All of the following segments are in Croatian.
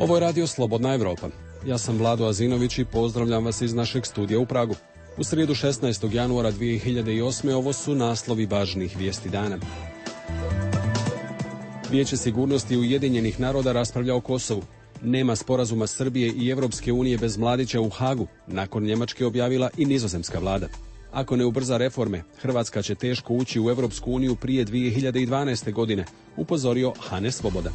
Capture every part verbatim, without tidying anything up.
Ovo je radio Slobodna Evropa. Ja sam Vlado Azinović i pozdravljam vas iz našeg studija u Pragu. U srijedu šesnaestog januara dvije hiljade osme ovo su naslovi važnih vijesti dana. Vijeće sigurnosti Ujedinjenih naroda raspravlja o Kosovu. Nema sporazuma Srbije i Evropske unije bez Mladića u Hagu, nakon Njemačke objavila i nizozemska vlada. Ako ne ubrza reforme, Hrvatska će teško ući u Evropsku uniju prije dvije hiljade dvanaeste. godine, upozorio Hane Svoboda.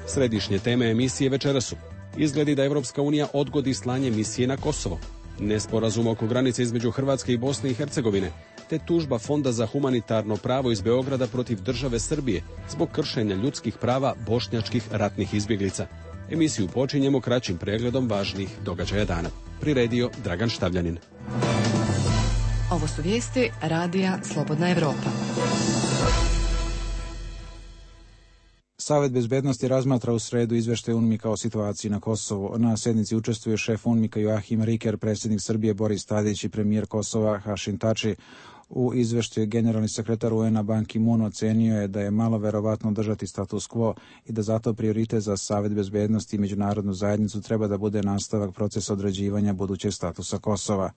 Središnje teme emisije večeras su: izgledi da Evropska unija odgodi slanje misije na Kosovo, nesporazum oko granice između Hrvatske i Bosne i Hercegovine, te tužba Fonda za humanitarno pravo iz Beograda protiv države Srbije zbog kršenja ljudskih prava bošnjačkih ratnih izbjeglica. Emisiju počinjemo kraćim pregledom važnih događaja dana. Priredio Dragan Štavljanin. Ovo su vijesti radija Slobodna Evropa. Savet bezbednosti razmatra u sredu izveštaj UNMIK-a o situaciji na Kosovu. Na sjednici učestvuje šef UNMIK-a Joachim Riker, predsjednik Srbije Boris Tadić i premijer Kosova Hašim Tači. U izveštaju generalni sekretar U N-a Ban Ki-moon ocenio je da je malo verovatno držati status quo i da zato prioritet za Savet bezbednosti i međunarodnu zajednicu treba da bude nastavak procesa određivanja budućeg statusa Kosova.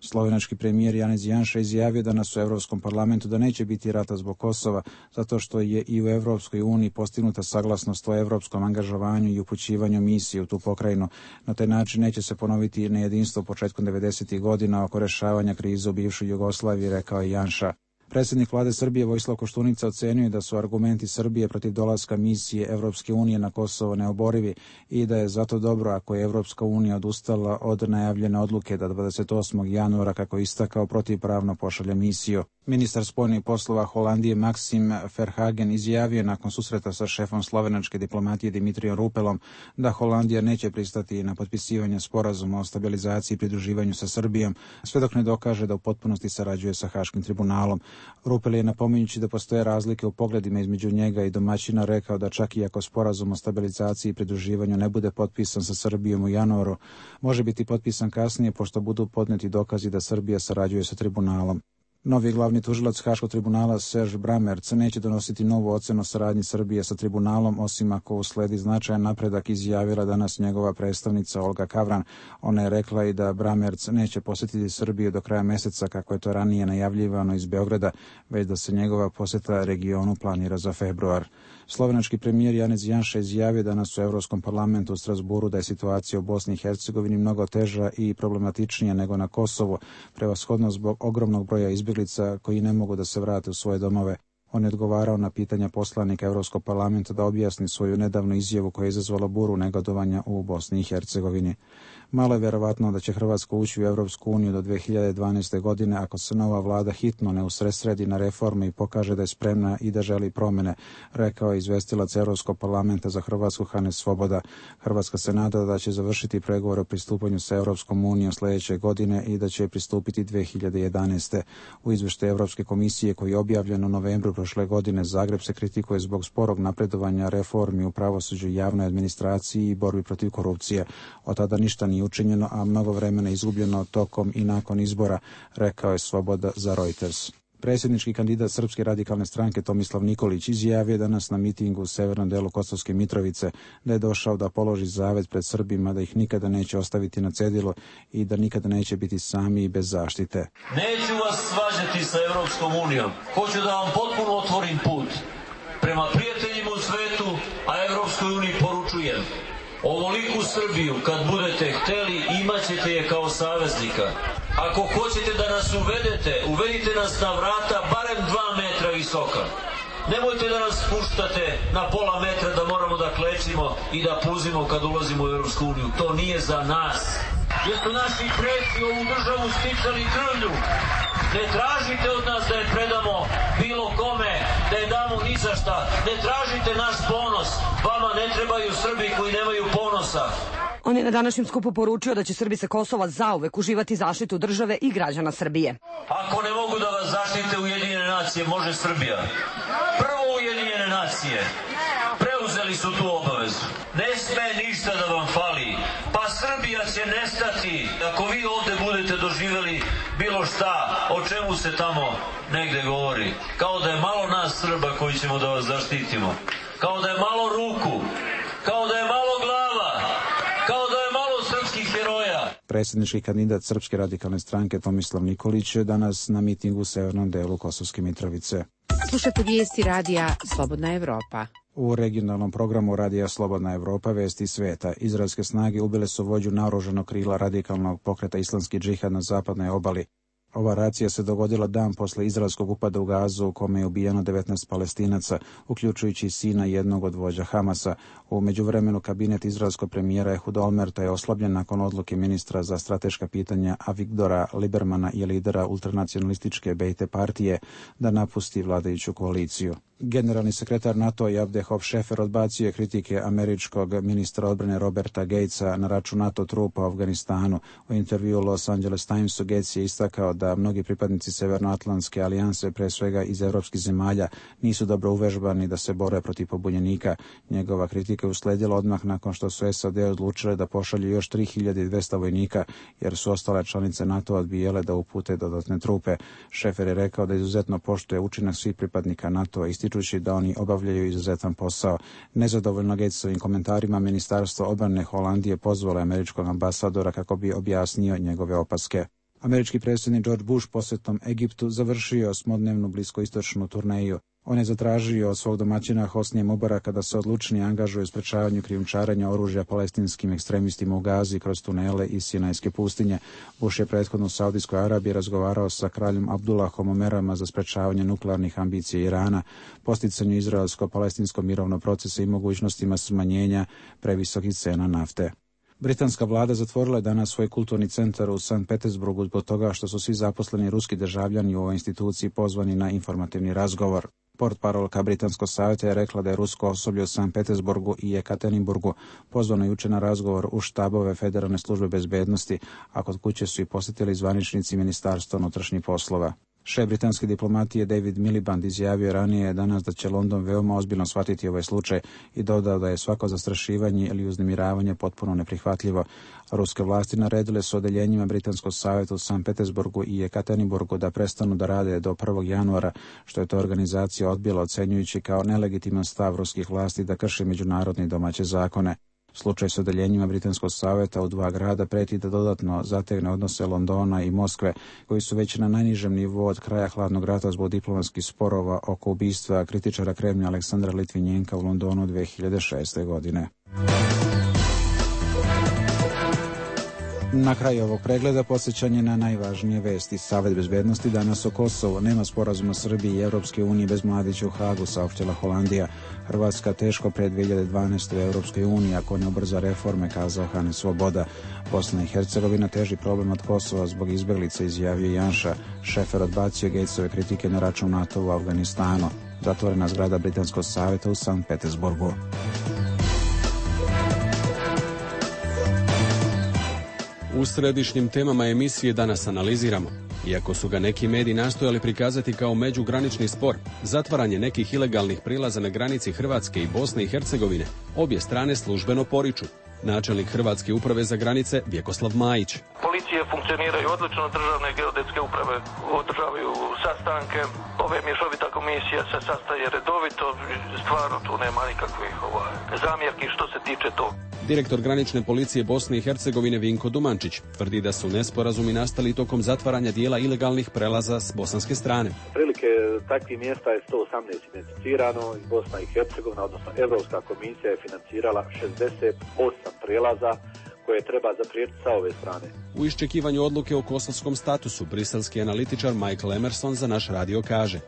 Slovenački premijer Janez Janša izjavio danas u Evropskom parlamentu da neće biti rata zbog Kosova, zato što je i u Evropskoj uniji postignuta saglasnost o evropskom angažovanju i upućivanju misije u tu pokrajinu. Na taj način neće se ponoviti nejedinstvo početkom devedesetih godina oko rešavanja krize u bivšoj Jugoslaviji, rekao je Janša. Predsjednik vlade Srbije Vojislav Koštunica ocenio da su argumenti Srbije protiv dolaska misije Evropske unije na Kosovo neoborivi i da je zato dobro ako je Evropska unija odustala od najavljene odluke da dvadeset osmog januara, kako je istakao, protivpravno pošalje misiju. Ministar spoljnih poslova Holandije Maxim Verhagen izjavio nakon susreta sa šefom slovenačke diplomatije Dimitrijom Rupelom da Holandija neće pristati na potpisivanje sporazuma o stabilizaciji i pridruživanju sa Srbijom, sve dok ne dokaže da u potpunosti sarađuje sa Haškim tribunalom. Rupel je, napominjući da postoje razlike u pogledima između njega i domaćina, rekao da čak i ako sporazum o stabilizaciji i pridruživanju ne bude potpisan sa Srbijom u januaru, može biti potpisan kasnije pošto budu podneti dokazi da Srbija sarađuje sa tribunalom. Novi glavni tužilac Haškog tribunala Serge Bramerc neće donositi novu ocenu saradnji Srbije sa tribunalom, osim ako usledi značajan napredak, izjavila danas njegova predstavnica Olga Kavran. Ona je rekla i da Bramerc neće posjetiti Srbiju do kraja mjeseca, kako je to ranije najavljivano iz Beograda, već da se njegova posjeta regionu planira za februar. Slovenački premijer Janez Janša izjavio danas u Evropskom parlamentu u Strasburu da je situacija u Bosni i Hercegovini mnogo teža i problematičnija nego na Kosovu, prevashodno zbog ogromnog broja izbjeglica koji ne mogu da se vrate u svoje domove. On je odgovarao na pitanja poslanika Evropskog parlamenta da objasni svoju nedavnu izjavu koja je izazvala buru negodovanja u Bosni i Hercegovini. Malo je vjerovatno da će Hrvatska ući u Evropsku uniju do dvije hiljade dvanaeste. godine ako se nova vlada hitno ne usredsredi na reforme i pokaže da je spremna i da želi promjene, rekao je izvestilac Evropskog parlamenta za Hrvatsku Hane Svoboda. Hrvatska se nada da će završiti pregovore o pristupanju sa Evropskom unijom sljedeće godine i da će pristupiti dvije hiljade jedanaeste. U izveštaju Evropske komisije koji je objavljen u novembru prošle godine, Zagreb se kritikuje zbog sporog napredovanja reformi u pravosuđu i javnoj administraciji i borbi protiv korupcije. Od tada ništa nije učinjeno, a mnogo vremena izgubljeno tokom i nakon izbora, rekao je Svoboda za Reuters. Predsjednički kandidat Srpske radikalne stranke Tomislav Nikolić izjavio danas na mitingu u severnom delu Kosovske Mitrovice da je došao da položi zavet pred Srbima da ih nikada neće ostaviti na cedilu i da nikada neće biti sami i bez zaštite. Neću vas svađati sa Evropskom unijom. Hoću da vam potpuno otvorim put prema prijateljima u svetu, a Evropskoj uniji poručujem: ovoliku Srbiju kad budete hteli, imat ćete je kao saveznika. Ako hoćete da nas uvedete, uvedite nas na vrata barem dva metra visoka. Nemojte da nas spuštate na pola metra da moramo da klečimo i da puzimo kad ulazimo u Evropsku uniju. To nije za nas. Jer su naši preci ovu državu sticali krvlju. Ne tražite od nas da je predamo bilo kome, da je damo ni za šta. Ne tražite naš ponos. Vama ne trebaju Srbi koji nemaju ponosa. On je na današnjem skupu poručio da će Srbi sa Kosova zauvek uživati zaštitu države i građana Srbije. Ako ne mogu da vas zaštite Ujedinjene nacije, može Srbija. Prvo Ujedinjene nacije preuzeli su tu obavezu. Ne sme ništa da vam fali. Pa Srbija će nestati ako vi ovde budete doživjeli bilo šta o čemu se tamo negde govori. Kao da je malo nas Srba koji ćemo da vas zaštitimo. Kao da je malo ruku kao da je malo glava, kao da je malo srpskih heroja. Predsjednički kandidat Srpske radikalne stranke Tomislav Nikolić je danas na mitingu u severnom delu Kosovske Mitrovice. Slušate vijesti radija Slobodna Evropa. U regionalnom programu radija Slobodna Evropa vesti sveta. Izraelske snage ubile su vođu naoružanog krila radikalnog pokreta Islamski džihad na zapadnoj obali. Ova racija se dogodila dan posle izraelskog upada u Gazu u kome je ubijeno devetnaest Palestinaca, uključujući sina jednog od vođa Hamasa. U međuvremenu kabinet izraelskog premijera Ehud Olmerta je oslabljen nakon odluke ministra za strateška pitanja Avigdora Libermana i lidera ultranacionalističke Bejte partije da napusti vladajuću koaliciju. Generalni sekretar NATO Avdehov Šefer odbacio je kritike američkog ministra odbrane Roberta Gatesa na račun NATO trupa u Afganistanu. U intervju u Los Angeles Timesu Gates je istakao da mnogi pripadnici Severnoatlantske alijanse, pre svega iz evropskih zemalja, nisu dobro uvežbani da se bore protiv pobunjenika. Njegova kritika je usledila odmah nakon što su S A D odlučile da pošalju još tri hiljade dvesta vojnika, jer su ostale članice NATO odbijele da upute dodatne trupe. Šefer je rekao da izuzetno poštuje učinak svih pripadnika NATO-a, ističući da oni obavljaju izuzetan posao. Nezadovoljno Gatesovim komentarima, Ministarstvo odbrane Holandije pozvalo američkog ambasadora kako bi objasnio njegove opaske. Američki predsjednik George Bush posjetom Egiptu završio osmodnevnu bliskoistočnu turneju. On je zatražio od svog domaćina Hosnije Mubaraka da se odlučnije angažuje u sprečavanju krijumčarenja oružja palestinskim ekstremistima u Gazi kroz tunele iz Sinajske pustinje. Bush je prethodno u Saudijskoj Arabiji razgovarao sa kraljem Abdullahom o merama za sprečavanje nuklearnih ambicija Irana, posticanju izraelsko-palestinskog mirovnog procesa i mogućnostima smanjenja previsokih cena nafte. Britanska vlada zatvorila je danas svoj kulturni centar u Sankt Petersburgu zbog toga što su svi zaposleni ruski državljani u ovoj instituciji pozvani na informativni razgovor. Portparolka Britanskog savjeta je rekla da je rusko osoblje u Sankt Petersburgu i Ekaterinburgu pozvano juče na razgovor u štabove Federalne službe bezbednosti, a kod kuće su i posjetili zvaničnici Ministarstva unutrašnjih poslova. Šef britanske diplomatije David Miliband izjavio ranije danas da će London veoma ozbiljno shvatiti ovaj slučaj i dodao da je svako zastrašivanje ili uznemiravanje potpuno neprihvatljivo. Ruske vlasti naredile su odeljenjima Britanskog savjeta u Sankt Petersburgu i Ekaterinburgu da prestanu da rade do prvog januara, što je to organizacija odbila ocenjujući kao nelegitiman stav ruskih vlasti da krše međunarodne i domaće zakone. Slučaj s odeljenjima Britanskog savjeta u dva grada preti da dodatno zategne odnose Londona i Moskve, koji su već na najnižem nivou od kraja hladnog rata zbog diplomatskih sporova oko ubistva kritičara Kremlja Aleksandra Litvinjenka u Londonu dve hiljade šeste. godine. Na kraju ovog pregleda podsjećanje na najvažnije vesti. Savet bezbednosti danas o Kosovu. Nema sporazuma Srbije i Evropske unije bez Mladića u Hagu, saopštila Holandija. Hrvatska teško pre dve hiljade dvanaeste. u Evropskoj uniji ako ne ubrza reforme, kazao Hane Svoboda. Bosna i Hercegovina teži problem od Kosova zbog izbeglica, izjavio Janša. Šefer odbacio Gatesove kritike na račun NATO u Afganistanu. Zatvorena zgrada Britanskog savjeta u Sankt Petersburgu. U središnjim temama emisije danas analiziramo. Iako su ga neki mediji nastojali prikazati kao međugranični spor, zatvaranje nekih ilegalnih prilaza na granici Hrvatske i Bosne i Hercegovine, obje strane službeno poriču. Načelnik Hrvatske uprave za granice Vjekoslav Majić. Policije funkcioniraju odlično, državne geodetske uprave održavaju sastanke, ove mješovita komisija se sastaje redovito, stvarno tu nema nikakvih ovaj, zamjerki što se tiče toga. Direktor granične policije Bosne i Hercegovine Vinko Dumančić tvrdi da su nesporazumi nastali tokom zatvaranja dijela ilegalnih prelaza s bosanske strane. Prilike takvih mjesta je sto osamnaest identificirano i Bosna i Hercegovina, odnosno Evropska komisija je financirala šezdeset osam prijelaza koje treba zapriječiti sa ove strane. U iščekivanju odluke o kosovskom statusu, briselski analitičar Michael Emerson za naš radio kaže: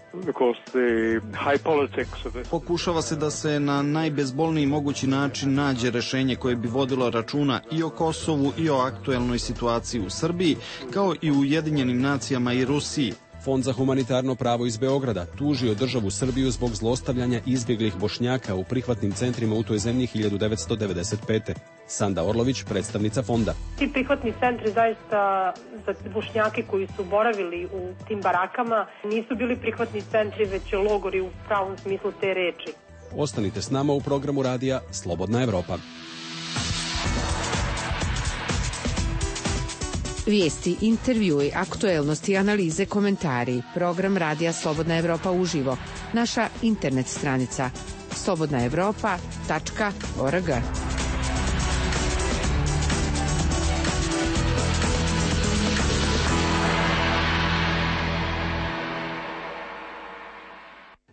Pokušava se da se na najbezbolniji mogući način nađe rešenje koje bi vodilo računa i o Kosovu i o aktuelnoj situaciji u Srbiji, kao i u Ujedinjenim nacijama i Rusiji. Fond za humanitarno pravo iz Beograda tužio državu Srbiju zbog zlostavljanja izbjeglih Bošnjaka u prihvatnim centrima u toj zemlji hiljadu devetsto devedeset pete. Sanda Orlović, predstavnica fonda. Ti prihvatni centri zaista za Bošnjake koji su boravili u tim barakama nisu bili prihvatni centri, već logori u pravom smislu te reči. Ostanite s nama u programu radija Slobodna Evropa. Vijesti, intervjui, aktuelnosti, analize, komentari. Program radija Slobodna Evropa uživo. Naša internet stranica slobodna evropa tačka org.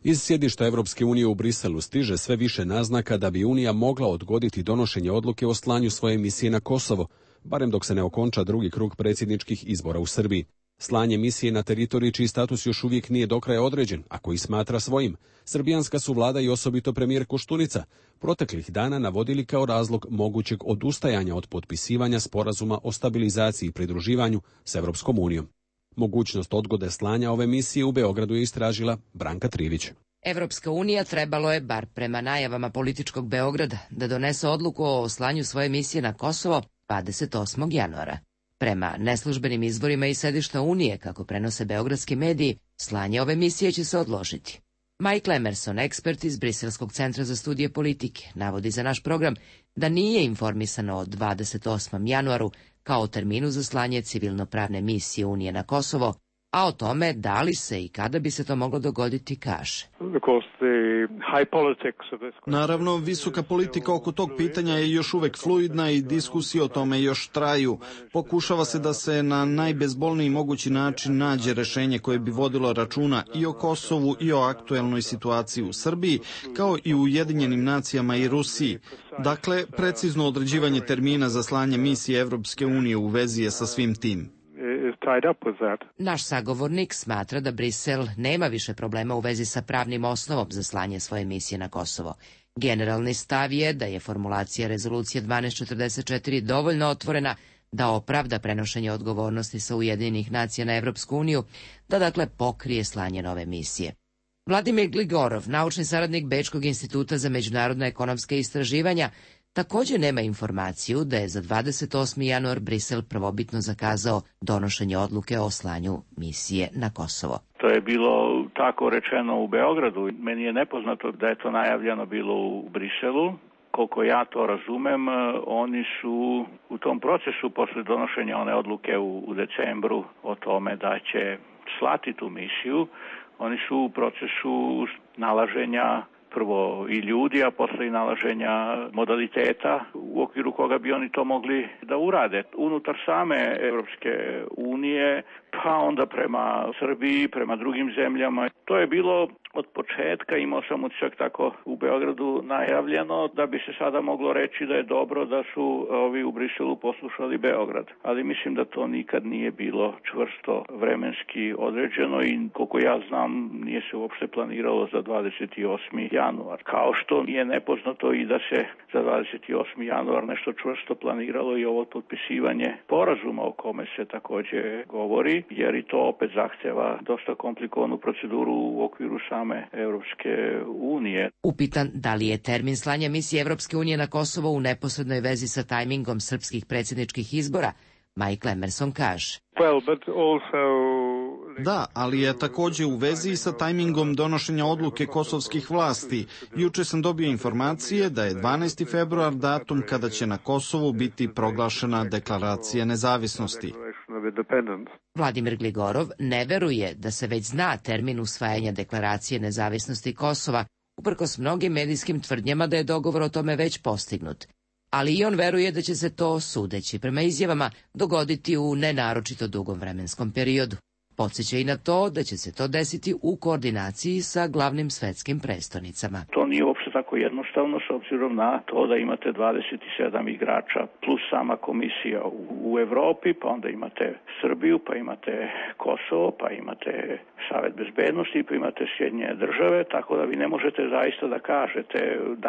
Iz sjedišta Evropske unije u Briselu stiže sve više naznaka da bi Unija mogla odgoditi donošenje odluke o slanju svoje misije na Kosovo, barem dok se ne okonča drugi krug predsjedničkih izbora u Srbiji. Slanje misije na teritoriji čiji status još uvijek nije do kraja određen, a koji smatra svojim, srbijanska su vlada i osobito premijer Koštunica proteklih dana navodili kao razlog mogućeg odustajanja od potpisivanja sporazuma o stabilizaciji i pridruživanju s Evropskom unijom. Mogućnost odgode slanja ove misije u Beogradu je istražila Branka Trivić. Evropska unija trebalo je, bar prema najavama političkog Beograda, da donese odluku o slanju svoje misije na Kosovo dvadeset osmog januara. Prema neslužbenim izvorima iz sedišta Unije, kako prenose beogradski mediji, slanje ove misije će se odložiti. Mike Emerson, ekspert iz Briselskog centra za studije politike, navodi za naš program da nije informisano o dvadeset osmom januaru kao terminu za slanje civilno-pravne misije Unije na Kosovo, a o tome da li se i kada bi se to moglo dogoditi kaže. Naravno, visoka politika oko tog pitanja je još uvek fluidna i diskusije o tome još traju. Pokušava se da se na najbezbolniji mogući način nađe rešenje koje bi vodilo računa i o Kosovu i o aktuelnoj situaciji u Srbiji, kao i u Ujedinjenim nacijama i Rusiji. Dakle, precizno određivanje termina za slanje misije Evropske unije u vezi je sa svim tim. Naš sagovornik smatra da Brisel nema više problema u vezi sa pravnim osnovom za slanje svoje misije na Kosovo. Generalni stav je da je formulacija rezolucije dvanaest četrdeset četiri dovoljno otvorena da opravda prenošenje odgovornosti sa Ujedinjenih nacija na Evropsku uniju, da dakle pokrije slanje nove misije. Vladimir Gligorov, naučni saradnik Bečkog instituta za međunarodna ekonomska istraživanja, također nema informaciju da je za dvadeset osmi januar Brisel prvobitno zakazao donošenje odluke o slanju misije na Kosovo. To je bilo tako rečeno u Beogradu. Meni je nepoznato da je to najavljeno bilo u Briselu. Koliko ja to razumem, oni su u tom procesu posle donošenja one odluke u, u decembru o tome da će slati tu misiju, oni su u procesu nalaženja prvo i ljudi, a posle i nalaženja modaliteta u okviru koga bi oni to mogli da urade. Unutar same Evropske unije, pa onda prema Srbiji, prema drugim zemljama. To je bilo od početka, imao sam utisak tako u Beogradu najavljeno, da bi se sada moglo reći da je dobro da su ovi u Briselu poslušali Beograd. Ali mislim da to nikad nije bilo čvrsto vremenski određeno i koliko ja znam nije se uopšte planiralo za dvadeset osmi januar. Kao što nije nepoznato i da se za dvadeset osmi januar nešto čvrsto planiralo i ovo potpisivanje sporazuma o kome se također govori, jer i to opet zahtjeva dosta komplikovanu proceduru u okviru same Evropske unije. Upitan da li je termin slanja misije Evropske unije na Kosovo u neposrednoj vezi sa tajmingom srpskih predsjedničkih izbora, Mike Emerson kaže. Well, but also... Da, ali je također u vezi sa tajmingom donošenja odluke kosovskih vlasti. Juče sam dobio informacije da je dvanaesti februar datum kada će na Kosovu biti proglašena deklaracija nezavisnosti. Vladimir Gligorov ne veruje da se već zna termin usvajanja deklaracije nezavisnosti Kosova, uprkos mnogim medijskim tvrdnjama da je dogovor o tome već postignut. Ali i on veruje da će se to, sudeći prema izjavama, dogoditi u nenaročito dugom vremenskom periodu. Podsjeća i na to da će se to desiti u koordinaciji sa glavnim svetskim prestonicama. To nije uopšte tako jednostavno s obzirom na to da imate dvadeset sedam igrača plus sama komisija u, u Evropi, pa onda imate Srbiju, pa imate Kosovo, pa imate Savet bezbednosti, pa imate Sjedinjene države, tako da vi ne možete zaista da kažete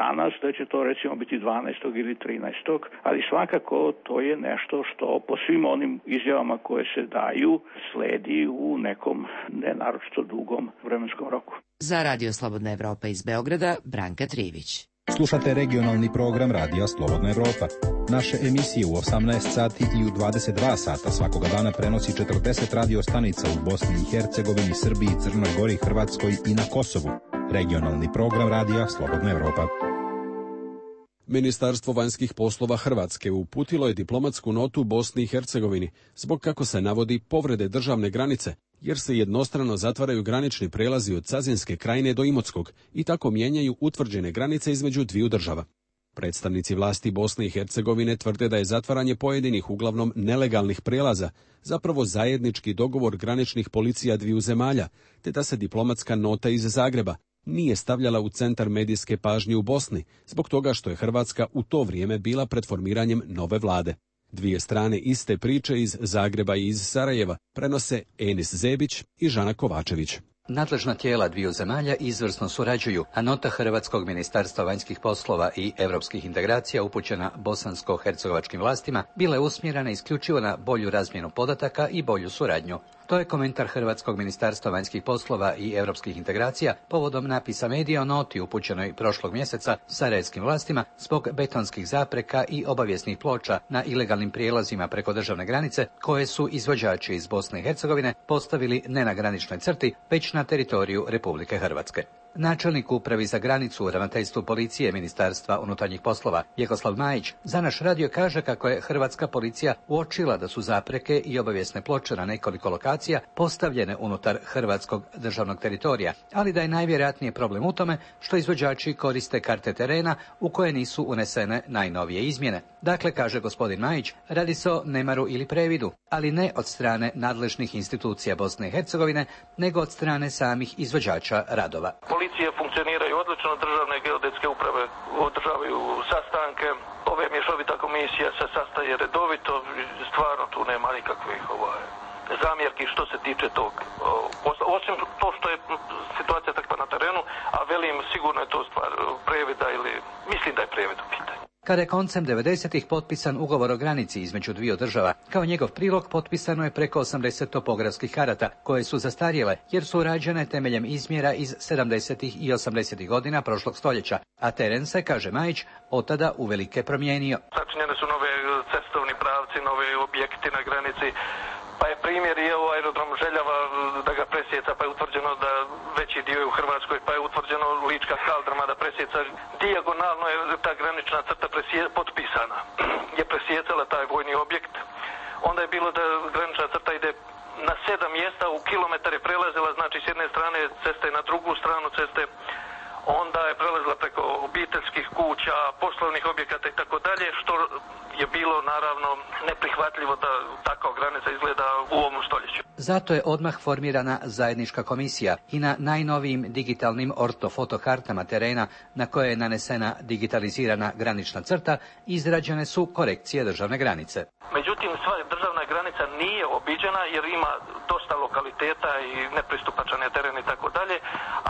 danas da će to recimo biti dvanaestog ili trinaestog, ali svakako to je nešto što po svim onim izjavama koje se daju sledi u nekom nenaročito dugom vremenskom roku. Za Radio Slobodna Evropa iz Beograda, Branka Trivić. Slušate regionalni program Radija Slobodna Evropa. Naše emisije u osamnaest sati i u dvadeset dva sata svakoga dana prenosi četrdeset radio stanica u Bosni i Hercegovini, Srbiji, Crnoj Gori, Hrvatskoj i na Kosovu. Regionalni program Radija Slobodna Evropa. Ministarstvo vanjskih poslova Hrvatske uputilo je diplomatsku notu Bosni i Hercegovini zbog, kako se navodi, povrede državne granice jer se jednostrano zatvaraju granični prelazi od Cazinske krajine do Imotskog i tako mijenjaju utvrđene granice između dviju država. Predstavnici vlasti Bosne i Hercegovine tvrde da je zatvaranje pojedinih uglavnom nelegalnih prelaza zapravo zajednički dogovor graničnih policija dviju zemalja, te da se diplomatska nota iz Zagreba nije stavljala u centar medijske pažnje u Bosni, zbog toga što je Hrvatska u to vrijeme bila pred formiranjem nove vlade. Dvije strane iste priče iz Zagreba i iz Sarajeva prenose Enis Zebić i Žana Kovačević. Nadležna tijela dviju zemalja izvrsno surađuju, a nota Hrvatskog ministarstva vanjskih poslova i europskih integracija upućena bosansko-hercegovačkim vlastima bila je usmjerena isključivo na bolju razmjenu podataka i bolju suradnju. To je komentar Hrvatskog ministarstva vanjskih poslova i europskih integracija povodom napisa medija o noti upućenoj prošlog mjeseca sarajevskim vlastima zbog betonskih zapreka i obavijesnih ploča na ilegalnim prijelazima preko državne granice koje su izvođači iz Bosne i Hercegovine postavili ne na graničnoj crti, već na teritoriju Republike Hrvatske. Načelnik upravi za granicu u ravnateljstvu policije Ministarstva unutarnjih poslova Jekoslav Majić za naš radio kaže kako je hrvatska policija uočila da su zapreke i obavijesne ploče na nekoliko lokacija postavljene unutar hrvatskog državnog teritorija, ali da je najvjerojatnije problem u tome što izvođači koriste karte terena u koje nisu unesene najnovije izmjene. Dakle, kaže gospodin Majić, radi se o nemaru ili previdu, ali ne od strane nadležnih institucija Bosne i Hercegovine, nego od strane samih izvođača radova. Policije funkcioniraju odlično, državne geodetske uprave održavaju sastanke, ove mješovita komisija se sastaje redovito, stvarno tu nema nikakvih ovaj, zamjerki što se tiče tog. Osim to što je situacija takva na terenu, a velim sigurno je to stvar previda ili mislim da je previd u pitanju. Kada je koncem devedesetih potpisan ugovor o granici između dviju država, kao njegov prilog potpisano je preko osamdeset topografskih karata, koje su zastarjele jer su rađene temeljem izmjera iz sedamdesetih i osamdesetih godina prošlog stoljeća, a teren se, kaže Majić, od tada uvelike promijenio. Sačinjene su nove cestovni pravci, nove objekti na granici, pa je primjer i evo aerodrom Željava da ga presjeca, pa je utvrđeno da veći dio je u Hrvatskoj, pa je utvrđeno Lička kaldrma da presjeca. Dijagonalno je ta granična crta presje, potpisana, je presjecala taj vojni objekt. Onda je bilo da granična crta ide na sedam mjesta, u kilometar je prelazila, znači s jedne strane ceste na drugu stranu ceste, onda je prelazila preko obiteljskih kuća, poslovnih objekata i tako dalje, što je bilo naravno neprihvatljivo da takva granica izgleda u ovom stoljeću. Zato je odmah formirana zajednička komisija i na najnovijim digitalnim ortofotokartama terena na koje je nanesena digitalizirana granična crta izrađene su korekcije državne granice. Međutim, sva državna granica nije obiđena jer ima dosta lokaliteta i nepristupačan je teren i tako dalje,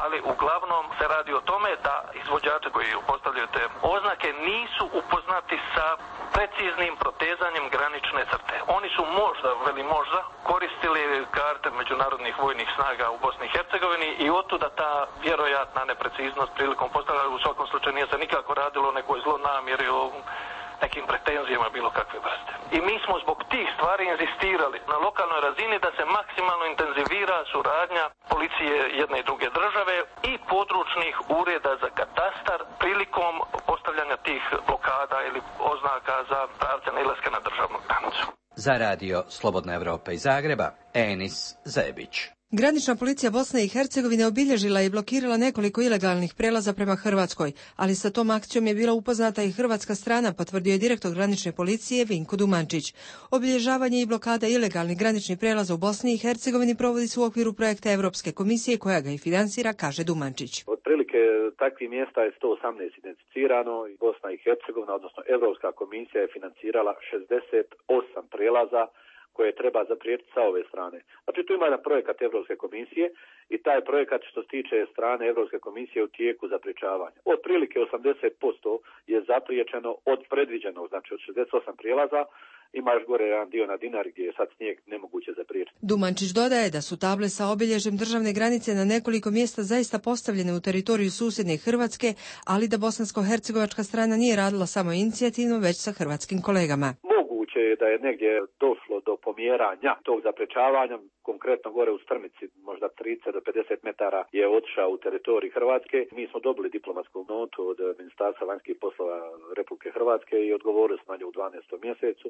ali uglavnom se radi o tome da izvođači koji postavljaju te oznake nisu upoznati sa preciznim protezanjem granične crte. Oni su možda, veli možda, koristili karte međunarodnih vojnih snaga u Bosni i Hercegovini i otuda ta vjerojatna nepreciznost prilikom postavljanja. U svakom slučaju nije se nikako radilo o nekoj zlonamjeri, o nekim pretenzijama bilo kakve vrste. I mi smo zbog tih stvari inzistirali na lokalnoj razini da se maksimalno intenzivira suradnja policije jedne i druge države i područnih ureda za katastar prilikom postavljanja tih blokada ili oznaka za pravce nailaska na državnu granicu. Za radio Slobodna Evropa iz Zagreba, Enis Zebić. Granična policija Bosne i Hercegovine obilježila i blokirala nekoliko ilegalnih prelaza prema Hrvatskoj, ali sa tom akcijom je bila upoznata i hrvatska strana, potvrdio je direktor granične policije Vinko Dumančić. Obilježavanje i blokada ilegalnih graničnih prelaza u Bosni i Hercegovini provodi se u okviru projekta Europske komisije koja ga i finansira, kaže Dumančić. Otprilike takvih mjesta je sto osamnaest identificirano i Bosna i Hercegovina, odnosno Europska komisija je financirala šezdeset osam prelaza koje treba zapriječiti sa ove strane. Znači tu ima jedan projekat Europske komisije i taj projekat što se tiče strane Europske komisije u tijeku zapriječavanja. Otprilike osamdeset posto je zapriječeno od predviđenog, znači od šezdeset osam prijelaza, ima još gore jedan dio na Dinari gdje je sad snijeg nemoguće zapriječiti. Dumančić dodaje da su table sa obilježjem državne granice na nekoliko mjesta zaista postavljene u teritoriju susjedne Hrvatske, ali da bosansko-hercegovačka strana nije radila samo inicijativno, već sa hrvatskim kolegama. moguće je da je negdje došlo do pomjeranja tog zaprečavanja, konkretno gore u Strmici, možda trideset do pedeset metara je otišao u teritorij Hrvatske. Mi smo dobili diplomatsku notu od Ministarstva vanjskih poslova Republike Hrvatske i odgovorili smo na nju u dvanaestom mjesecu,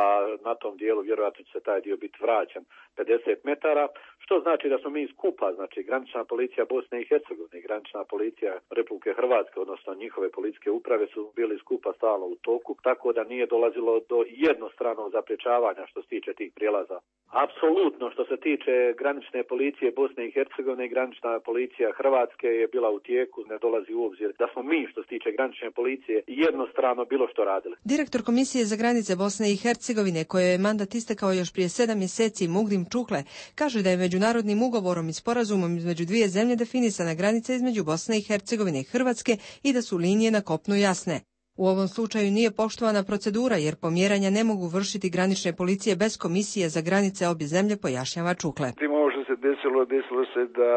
a na tom dijelu vjerojatno će se taj dio biti vraćan pedeset metara, što znači da smo mi skupa, znači granična policija Bosne i Hercegovine i granična policija Republike Hrvatske, odnosno njihove policijske uprave su bili skupa stalno u toku, tako da nije dolazilo do jednostranog zapriječavanja što se tiče tih prijelaza. Apsolutno, što se tiče granične policije Bosne i Hercegovine i granična policija Hrvatske je bila u tijeku, ne dolazi u obzir da smo mi što se tiče granične policije jednostrano bilo što radili. Direktor Komisije za granice Bosne i Hercegovine, kojoj je mandat istekao još prije sedam mjeseci, Mugdim Čukle, kaže da je međunarodnim ugovorom i sporazumom između dvije zemlje definisana granica između Bosne i Hercegovine i Hrvatske i da su linije na kopnu jasne. U ovom slučaju nije poštovana procedura jer pomjeranja ne mogu vršiti granične policije bez komisije za granice obje zemlje, pojašnjava Čukle. Ovo što se desilo, desilo se da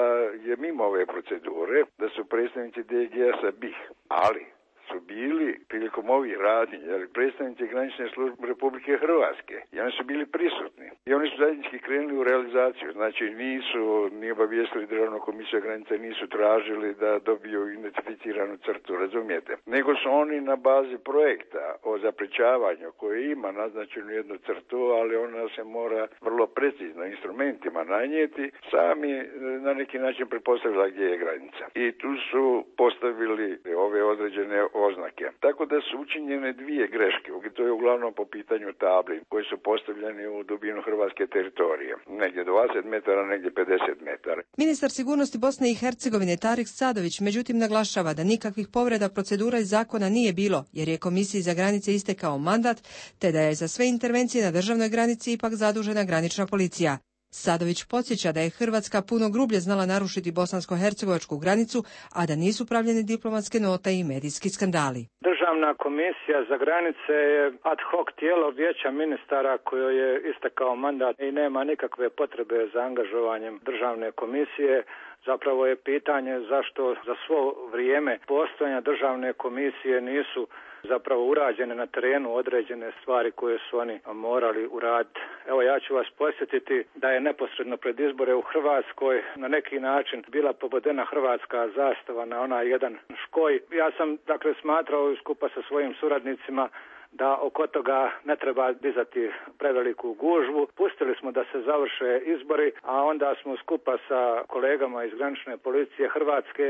je mimo ove procedure, da su predstavnici D G S-a B I H, ali su bili prilikom ovih radnji, jer predstavnici granične službe Republike Hrvatske, i oni su bili prisutni. I oni su zajednički krenuli u realizaciju, znači nisu ni obavijestili Državnu komisiju granice, nisu tražili da dobiju identificiranu crtu, razumijete? Nego su oni na bazi projekta o zaprečavanju koji ima naznačenu jednu crtu, ali ona se mora vrlo precizno instrumentima nanijeti, sami na neki način pretpostavila gdje je granica. I tu su postavili ove određene oznake. Tako da su učinjene dvije greške, to je uglavnom po pitanju tabli koji su postavljeni u dubinu hrvatske teritorije. Negdje dvadeset metara, negdje pedeset metara. Ministar sigurnosti Bosne i Hercegovine Tarik Sadović međutim naglašava da nikakvih povreda procedura i zakona nije bilo, jer je Komisiji za granice istekao mandat, te da je za sve intervencije na državnoj granici ipak zadužena granična policija. Sadović podsjeća da je Hrvatska puno grublje znala narušiti bosansko-hercegovačku granicu, a da nisu pravljene diplomatske note i medijski skandali. Državna komisija za granice je ad hoc tijelo vijeća ministara kojoj je istekao mandat i nema nikakve potrebe za angažovanjem državne komisije. Zapravo je pitanje zašto za svo vrijeme postojanja državne komisije nisu zapravo urađene na terenu određene stvari koje su oni morali uraditi. Evo ja ću vas podsjetiti da je neposredno pred izbore u Hrvatskoj na neki način bila pobodena hrvatska zastava na onaj jedan škoj. Ja sam dakle smatrao skupa sa svojim suradnicima da oko toga ne treba dizati preveliku gužvu. Pustili smo da se završe izbori, a onda smo skupa sa kolegama iz granične policije Hrvatske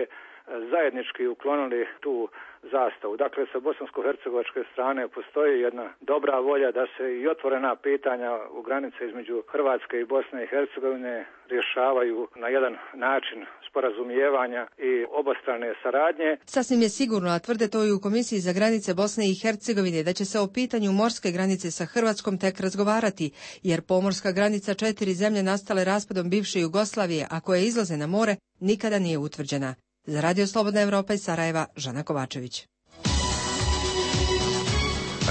zajednički uklonili tu zastavu. Dakle, sa bosansko-hercegovačke strane postoji jedna dobra volja da se i otvorena pitanja u granice između Hrvatske i Bosne i Hercegovine rješavaju na jedan način sporazumijevanja i obostrane saradnje. Sasvim je sigurno, a tvrde to i u Komisiji za granice Bosne i Hercegovine, da će se o pitanju morske granice sa Hrvatskom tek razgovarati, jer pomorska granica četiri zemlje nastale raspadom bivše Jugoslavije, a koje izlaze na more, nikada nije utvrđena. Za Radio Slobodna Evropa iz Sarajeva, Žana Kovačević.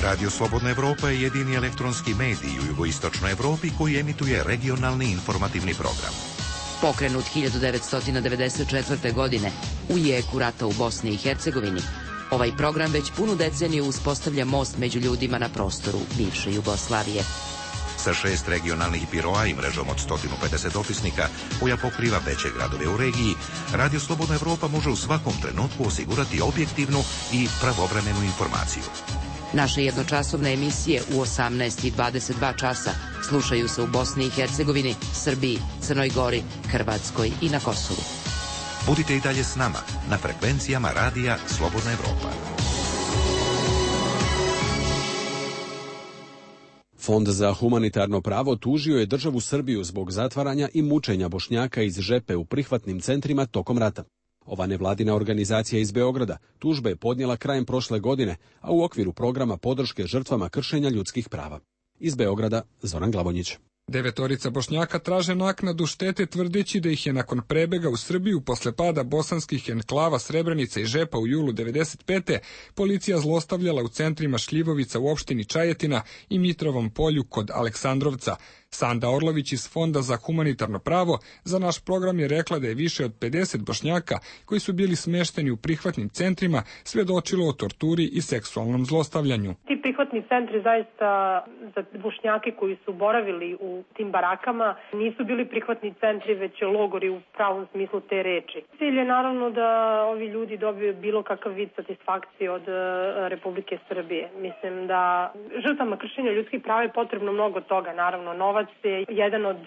Radio Slobodna Evropa je jedini elektronski medij u jugoistočnoj Evropi koji emituje regionalni informativni program. Pokrenut hiljadu devetsto devedeset četvrte. godine u jeku rata u Bosni i Hercegovini, ovaj program već punu deceniju uspostavlja most među ljudima na prostoru bivše Jugoslavije. Sa šest regionalnih biroa i mrežom od sto pedeset dopisnika koja pokriva veće gradove u regiji, Radio Slobodna Evropa može u svakom trenutku osigurati objektivnu i pravovremenu informaciju. Naše jednočasovne emisije u osamnaest i dvadeset dva časa slušaju se u Bosni i Hercegovini, Srbiji, Crnoj Gori, Hrvatskoj i na Kosovu. Budite i dalje s nama na frekvencijama Radija Slobodna Evropa. Fond za humanitarno pravo tužio je državu Srbiju zbog zatvaranja i mučenja Bošnjaka iz Žepe u prihvatnim centrima tokom rata. Ova nevladina organizacija iz Beograda tužbe je podnijela krajem prošle godine, a u okviru programa podrške žrtvama kršenja ljudskih prava. Iz Beograda, Zoran Glavonjić. Devetorica Bošnjaka traže naknadu štete tvrdeći da ih je nakon prebega u Srbiju posle pada bosanskih enklava Srebrenica i Žepa u julu devedeset pete. policija zlostavljala u centrima Šljivovica u opštini Čajetina i Mitrovom polju kod Aleksandrovca. Sanda Orlović iz Fonda za humanitarno pravo za naš program je rekla da je više od pedeset Bošnjaka koji su bili smešteni u prihvatnim centrima svedočilo o torturi i seksualnom zlostavljanju. Ti prihvatni centri zaista za Bošnjake koji su boravili u tim barakama nisu bili prihvatni centri, već logori u pravom smislu te reči. Cilj je naravno da ovi ljudi dobiju bilo kakav vid satisfakcije od Republike Srbije. Mislim da žrtvama kršenja ljudskih prava je potrebno mnogo toga. Naravno, novac je jedan od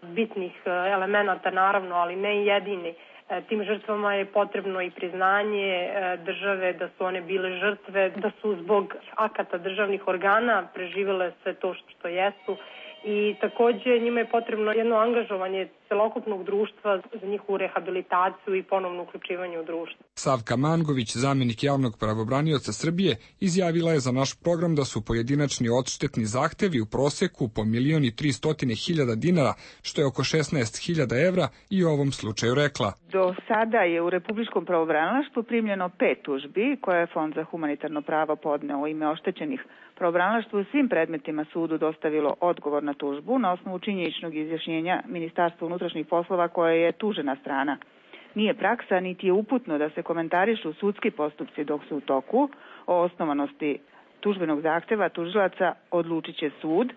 bitnih elemenata, naravno, ali ne jedini. Tim žrtvama je potrebno i priznanje države da su one bile žrtve, da su zbog akata državnih organa preživele sve to što jesu i takođe njima je potrebno jedno angažovanje celokupnog društva za njihovu rehabilitaciju i ponovno uključivanje u društvo. Savka Mangović, zamjenik javnog pravobranioca Srbije, izjavila je za naš program da su pojedinačni odštetni zahtevi u proseku po milion i tristotine hiljada dinara, što je oko šesnaest hiljada evra, i u ovom slučaju rekla. Do sada je u Republičkom pravobranilaštvu primljeno pet tužbi koje je Fond za humanitarno pravo podneo u ime oštećenih. Pravobranilaštvo u svim predmetima sudu dostavilo odgovor na tužbu na osnovu činjeničnog izjašnjenja Ministarstva unutrašnjih poslova koje je tužena strana. Nije praksa niti je uputno da se komentarišu sudski postupci dok su u toku. O osnovanosti tužbenog zahteva tužilaca odlučit će sud.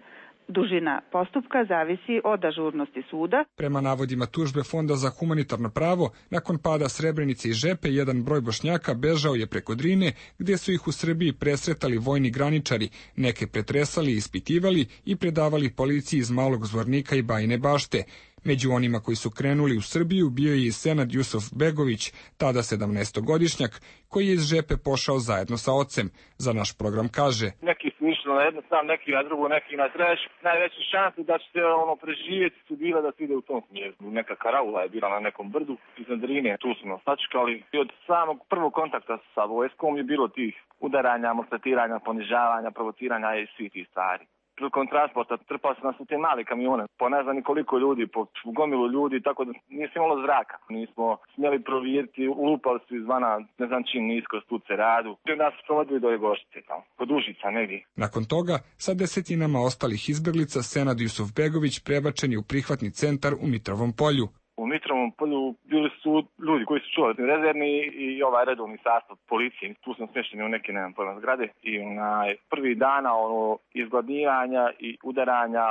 Dužina postupka zavisi od ažurnosti suda. Prema navodima tužbe Fonda za humanitarno pravo, nakon pada Srebrenice i Žepe, jedan broj Bošnjaka bežao je preko Drine, gdje su ih u Srbiji presretali vojni graničari, neke pretresali i ispitivali i predavali policiji iz Malog Zvornika i Bajine Bašte. Među onima koji su krenuli u Srbiju bio je i Senad Jusuf Begović, tada sedamnaestogodišnjak, koji je iz Žepe pošao zajedno sa ocem. Za naš program kaže: neki su išli na jednu stranu, neki na drugu, neki na treću. Najveće šanse da će se ono preživjeti su bila da se ide u tom smjeru. Neka karaula je bila na nekom brdu iznad Drine, tu su nas sačekali. I od samog prvog kontakta sa vojskom je bilo tih udaranja, maltretiranja, ponižavanja, provociranja i svih tih stvari. Prilikom transporta trpali su nas u te male kamione, po ne znam koliko ljudi, po gomilu ljudi, tako da nismo imalo zraka. Nismo smjeli provjeriti, ulupali su izvana, ne znam čim nisko stuce radu. I onda su provodili do Jegoštice, tamo, kod Užica negdje. Nakon toga, sa desetinama ostalih izbjeglica, Senad Jusuf Begović prebačen je u prihvatni centar u Mitrovom Polju. U Mitrovom Polju bili su ljudi koji su čuvali rezervni i ovaj redovni sastav policije. Tu smo smješteni u neke, ne znam, pojma zgrade. I onaj, prvi dana ono, izgladnijanja i udaranja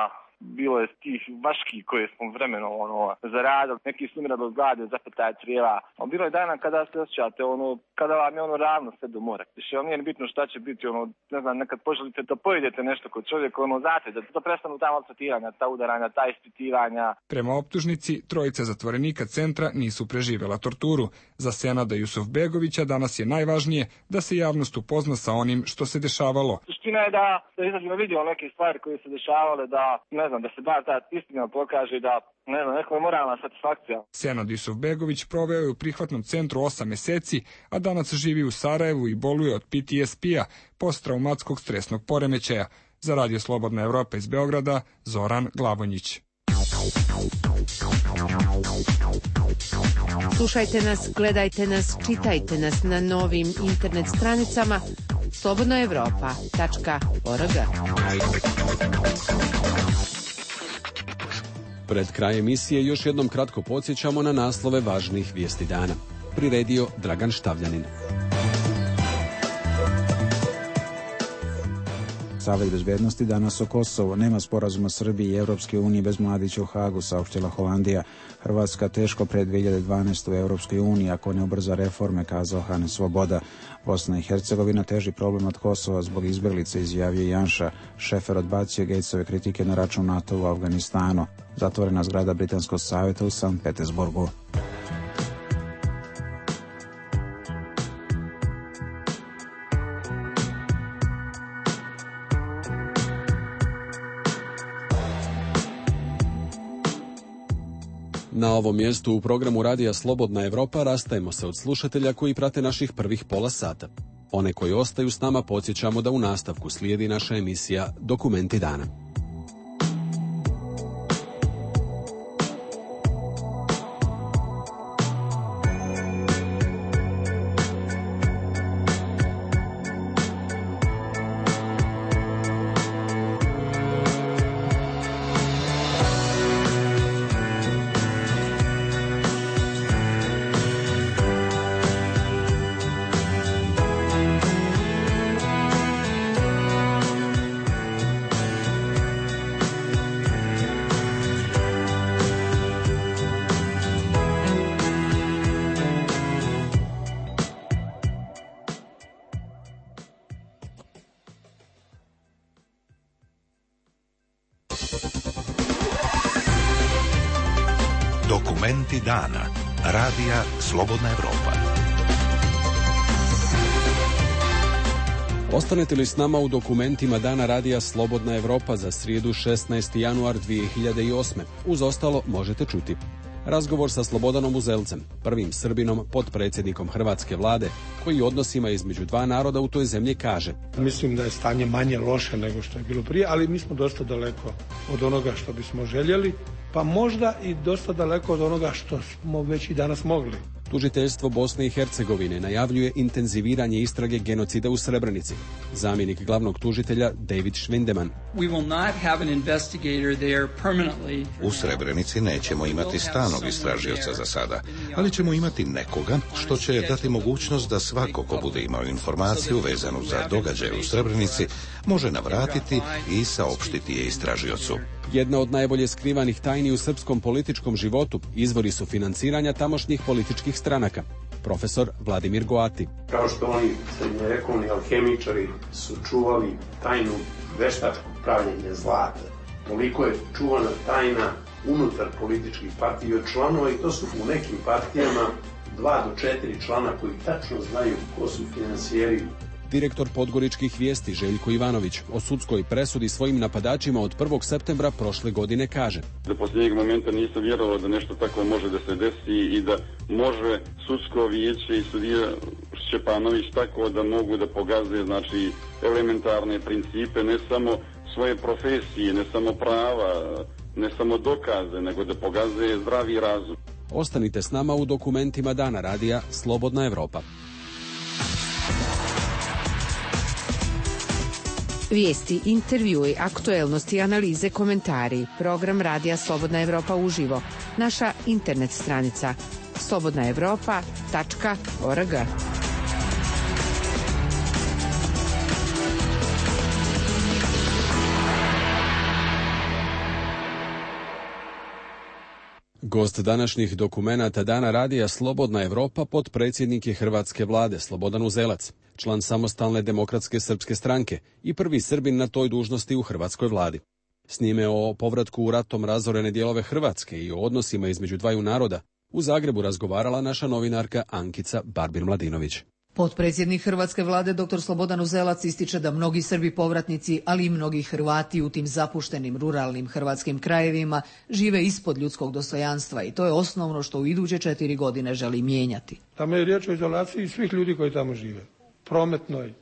bilo je tih vaški koje smo vremeno ono, zaradili. Neki su umirali od glade, zapetaje crijeva. A bilo je dana kada se osjećate, ono, kada vam je ono ravno sve do mora. Više vam nije bitno šta će biti, ono, ne znam, nekad poželite da pojedete nešto kod čovjeka, ono, znate, da, da prestanu ta maltretiranja, ta udaranja, ta ispitivanja. Prema optužnici, trojica zatvorenika centra nisu preživjela torturu. Za Senada Jusuf Begovića danas je najvažnije da se javnost upozna sa onim što se dešavalo. Suština je da, da izađemo vidimo neke stvari koje se dešavale, da, ne znam, da se bar ta istina pokaže, da, ne znam, neko je moralna satisfakcija. Senad Jusuf Begović proveo je u prihvatnom centru osam meseci, a danas živi u Sarajevu i boluje od P T S P-a, posttraumatskog stresnog poremećaja. Za Radio Slobodna Evropa iz Beograda, Zoran Glavonjić. Slušajte nas, gledajte nas, čitajte nas na novim internet stranicama slobodna evropa tačka org. Pred kraj emisije još jednom kratko podsjećamo na naslove važnih vijesti dana. Priredio Dragan Štavljanin. Savet bezbednosti danas o Kosovu. Nema sporazuma Srbije i Evropske unije bez Mladića u Hagu, saopštila Holandija. Hrvatska teško pre dve hiljade dvanaeste. u Evropskoj uniji ako ne ubrza reforme, kazao Hane Svoboda. Bosna i Hercegovina teži problem od Kosova zbog izbjeglice, izjavio Janša. Šefer odbacio Gatesove kritike na račun NATO u Afganistanu. Zatvorena zgrada Britanskog savjeta u Sankt Petersburgu. Na ovom mjestu u programu Radija Slobodna Evropa rastajemo se od slušatelja koji prate naših prvih pola sata. One koji ostaju s nama podsjećamo da u nastavku slijedi naša emisija Dokumenti dana. Dokumenti dana. Radija Slobodna Evropa. Ostanete li s nama u dokumentima dana Radija Slobodna Evropa za srijedu šesnaesti januar dvije hiljade osme. Uz ostalo možete čuti razgovor sa Slobodanom Uzelcem, prvim Srbinom, potpredsjednikom hrvatske vlade, koji odnosima između dva naroda u toj zemlji kaže: Mislim da je stanje manje loše nego što je bilo prije, ali mi smo dosta daleko od onoga što bismo željeli, pa možda i dosta daleko od onoga što smo već i danas mogli. Tužiteljstvo Bosne i Hercegovine najavljuje intenziviranje istrage genocida u Srebrenici. Zamjenik glavnog tužitelja David Schwindeman. U Srebrenici nećemo imati stalnog istražioca za sada, ali ćemo imati nekoga što će dati mogućnost da svako ko bude imao informaciju vezanu za događaje u Srebrenici može navratiti i saopštiti je istražiocu. Jedna od najbolje skrivanih tajni u srpskom političkom životu izvori su financiranja tamošnjih političkih stranaka. Profesor Vladimir Goati. Kao što oni srednjovekovni alhemičari su čuvali tajnu veštačkog pravljenja zlata, toliko je čuvana tajna unutar političkih partija od članova, i to su u nekim partijama dva do četiri člana koji tačno znaju ko su finansijeri. Direktor Podgoričkih vijesti Željko Ivanović o sudskoj presudi svojim napadačima od prvog septembra prošle godine kaže: Do posljednjeg momenta nisam vjerovao da nešto tako može da se desi i da može sudsko vijeće i sudija Šćepanović tako da mogu da pogaze, znači, elementarne principe, ne samo svoje profesije, ne samo prava, ne samo dokaze, nego da pogaze zdravi razum. Ostanite s nama u dokumentima dana Radija Slobodna Evropa. Vijesti, intervjui, aktuelnosti, analize, komentari. Program Radija Slobodna Evropa uživo. Naša internet stranica slobodna evropa tačka org. Gost današnjih dokumenata dana Radija Slobodna Evropa potpredsjednik je hrvatske vlade Slobodan Uzelac, član Samostalne demokratske srpske stranke i prvi Srbin na toj dužnosti u hrvatskoj vladi. S njime o povratku u ratom razorene dijelove Hrvatske i o odnosima između dvaju naroda u Zagrebu razgovarala naša novinarka Ankica Barbir-Mladinović. Potpredsjednik hrvatske vlade dr. Slobodan Uzelac ističe da mnogi Srbi povratnici, ali i mnogi Hrvati u tim zapuštenim ruralnim hrvatskim krajevima žive ispod ljudskog dostojanstva i to je osnovno što u iduće četiri godine želi mijenjati. Tamo je riječ o izolaciji svih ljudi koji tamo žive. Prometnoj,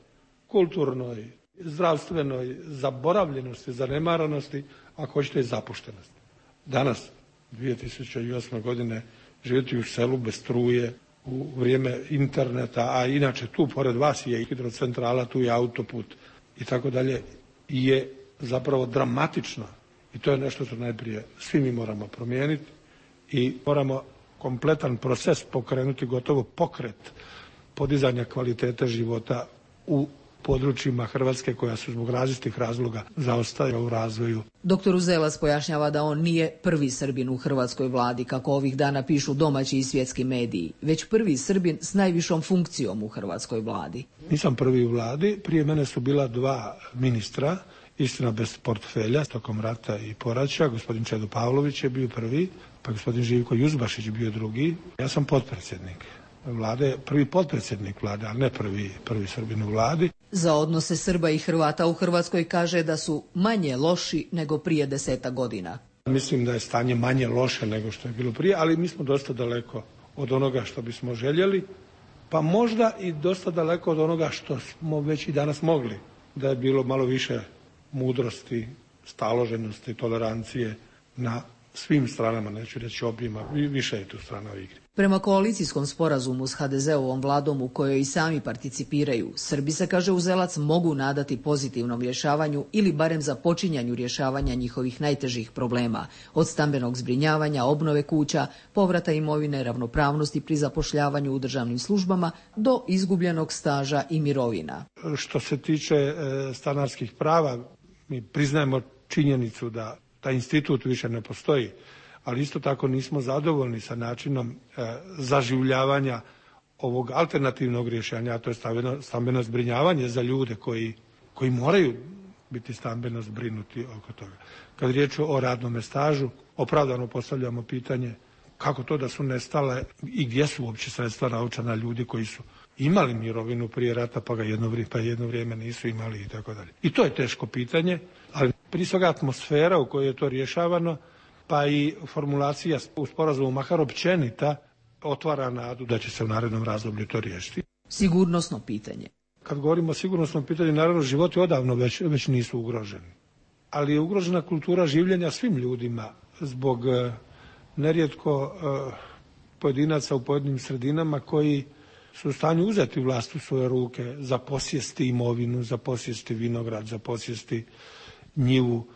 kulturnoj, zdravstvenoj, zaboravljenosti, zanemaranosti, ako hoćete i zapuštenosti. Danas, dvije tisuće osme. godine, živjeti u selu bez struje, u vrijeme interneta, a inače tu pored vas je i hidrocentrala, tu je autoput i tako dalje, je zapravo dramatično. I to je nešto što najprije svi mi moramo promijeniti i moramo kompletan proces pokrenuti, gotovo pokret podizanja kvalitete života u područjima Hrvatske koja su zbog različitih razloga zaostaje u razvoju. Doktor Uzelac pojašnjava da on nije prvi Srbin u hrvatskoj vladi, kako ovih dana pišu domaći i svjetski mediji, već prvi Srbin s najvišom funkcijom u hrvatskoj vladi. Nisam prvi u vladi, prije mene su bila dva ministra, istina bez portfelja, tokom rata i poraća. Gospodin Čedo Pavlović je bio prvi, pa gospodin Živko Juzbašić bio drugi. Ja sam potpredsjednik vlade, prvi potpredsjednik vlade, ali ne prvi, prvi Srbin u vladi. Za odnose Srba i Hrvata u Hrvatskoj kaže da su manje loši nego prije deseta godina. Mislim da je stanje manje loše nego što je bilo prije, ali mi smo dosta daleko od onoga što bismo željeli, pa možda i dosta daleko od onoga što smo već i danas mogli. Da je bilo malo više mudrosti, staloženosti, tolerancije na svim stranama, neću reći objema, više je tu strana u igri. Prema koalicijskom sporazumu s ha de ze-ovom vladom u kojoj i sami participiraju, Srbi se, kaže Uzelac, mogu nadati pozitivnom rješavanju ili barem započinjanju rješavanja njihovih najtežih problema, od stambenog zbrinjavanja, obnove kuća, povrata imovine, ravnopravnosti pri zapošljavanju u državnim službama do izgubljenog staža i mirovina. Što se tiče e, stanarskih prava, mi priznajemo činjenicu da taj institut više ne postoji, ali isto tako nismo zadovoljni sa načinom e, zaživljavanja ovog alternativnog rješenja, a to je stambeno, stambeno zbrinjavanje za ljude koji, koji moraju biti stambeno zbrinuti oko toga. Kad riječ o radnom stažu, opravdano postavljamo pitanje kako to da su nestale i gdje su uopće sredstva naučena ljudi koji su imali mirovinu prije rata pa ga jedno vrijeme, pa jedno vrijeme nisu imali i tako dalje. I to je teško pitanje, ali prije svega atmosfera u kojoj je to rješavano, pa i formulacija u sporazumu makar općenita otvara nadu da će se u narednom razdoblju to riješiti. Sigurnosno pitanje. Kad govorimo o sigurnosnom pitanju, naravno životi odavno već, već nisu ugroženi. Ali je ugrožena kultura življenja svim ljudima zbog uh, nerijetko uh, pojedinaca u pojedinim sredinama koji su u stanju uzeti vlast u svoje ruke, za posjesti imovinu, za posjesti vinograd, za posjesti njivu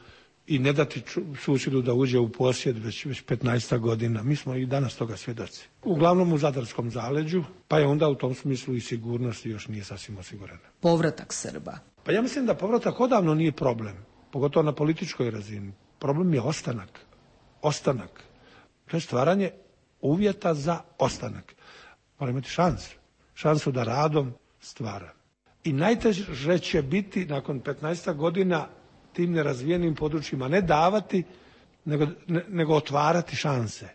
i ne dati susjedu da uđe u posjed već, već petnaest godina. Mi smo i danas toga svjedoci. Uglavnom u Zadarskom zaleđu, pa je onda u tom smislu i sigurnost još nije sasvim osigurana. Povratak Srba. Pa ja mislim da povratak odavno nije problem, pogotovo na političkoj razini. Problem je ostanak. Ostanak. To je stvaranje uvjeta za ostanak. Mora imati šansu. Šansu da radom stvara. I najteže će biti nakon petnaest godina tim nerazvijenim područjima ne davati, nego, ne, nego otvarati šanse.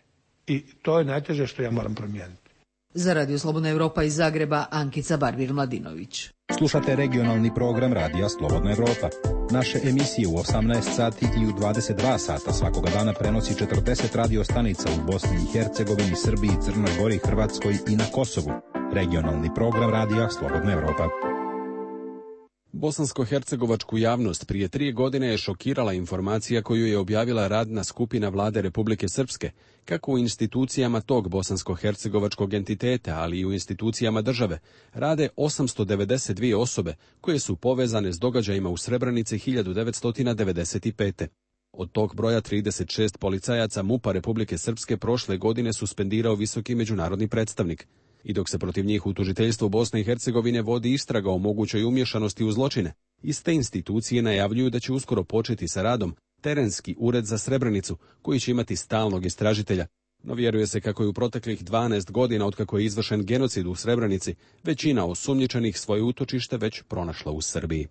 I to je najteže što ja moram promijeniti. Za Radio Slobodna Evropa iz Zagreba, Ankica Barbir-Mladinović. Slušate regionalni program Radija Slobodna Evropa. Naše emisije u osamnaest sati i u dvadeset dva sata svakoga dana prenosi četrdeset radio stanica u Bosni i Hercegovini, Srbiji, Crnoj Gori, Hrvatskoj i na Kosovu. Regionalni program Radija Slobodna Evropa. Bosansko-hercegovačku javnost prije tri godine je šokirala informacija koju je objavila radna skupina Vlade Republike Srpske, kako u institucijama tog bosansko-hercegovačkog entiteta, ali i u institucijama države, rade osamsto devedeset dvije osobe koje su povezane s događajima u Srebrenici hiljadu devetsto devedeset pete. Od tog broja trideset šest policajaca MUP-a Republike Srpske prošle godine suspendirao visoki međunarodni predstavnik. I dok se protiv njih u tužiteljstvu Bosne i Hercegovine vodi istraga o mogućoj umješanosti u zločine, iste institucije najavljuju da će uskoro početi sa radom terenski ured za Srebrenicu, koji će imati stalnog istražitelja. No vjeruje se kako je u proteklih dvanaest godina otkako je izvršen genocid u Srebrenici, većina osumnjičenih svoje utočište već pronašla u Srbiji.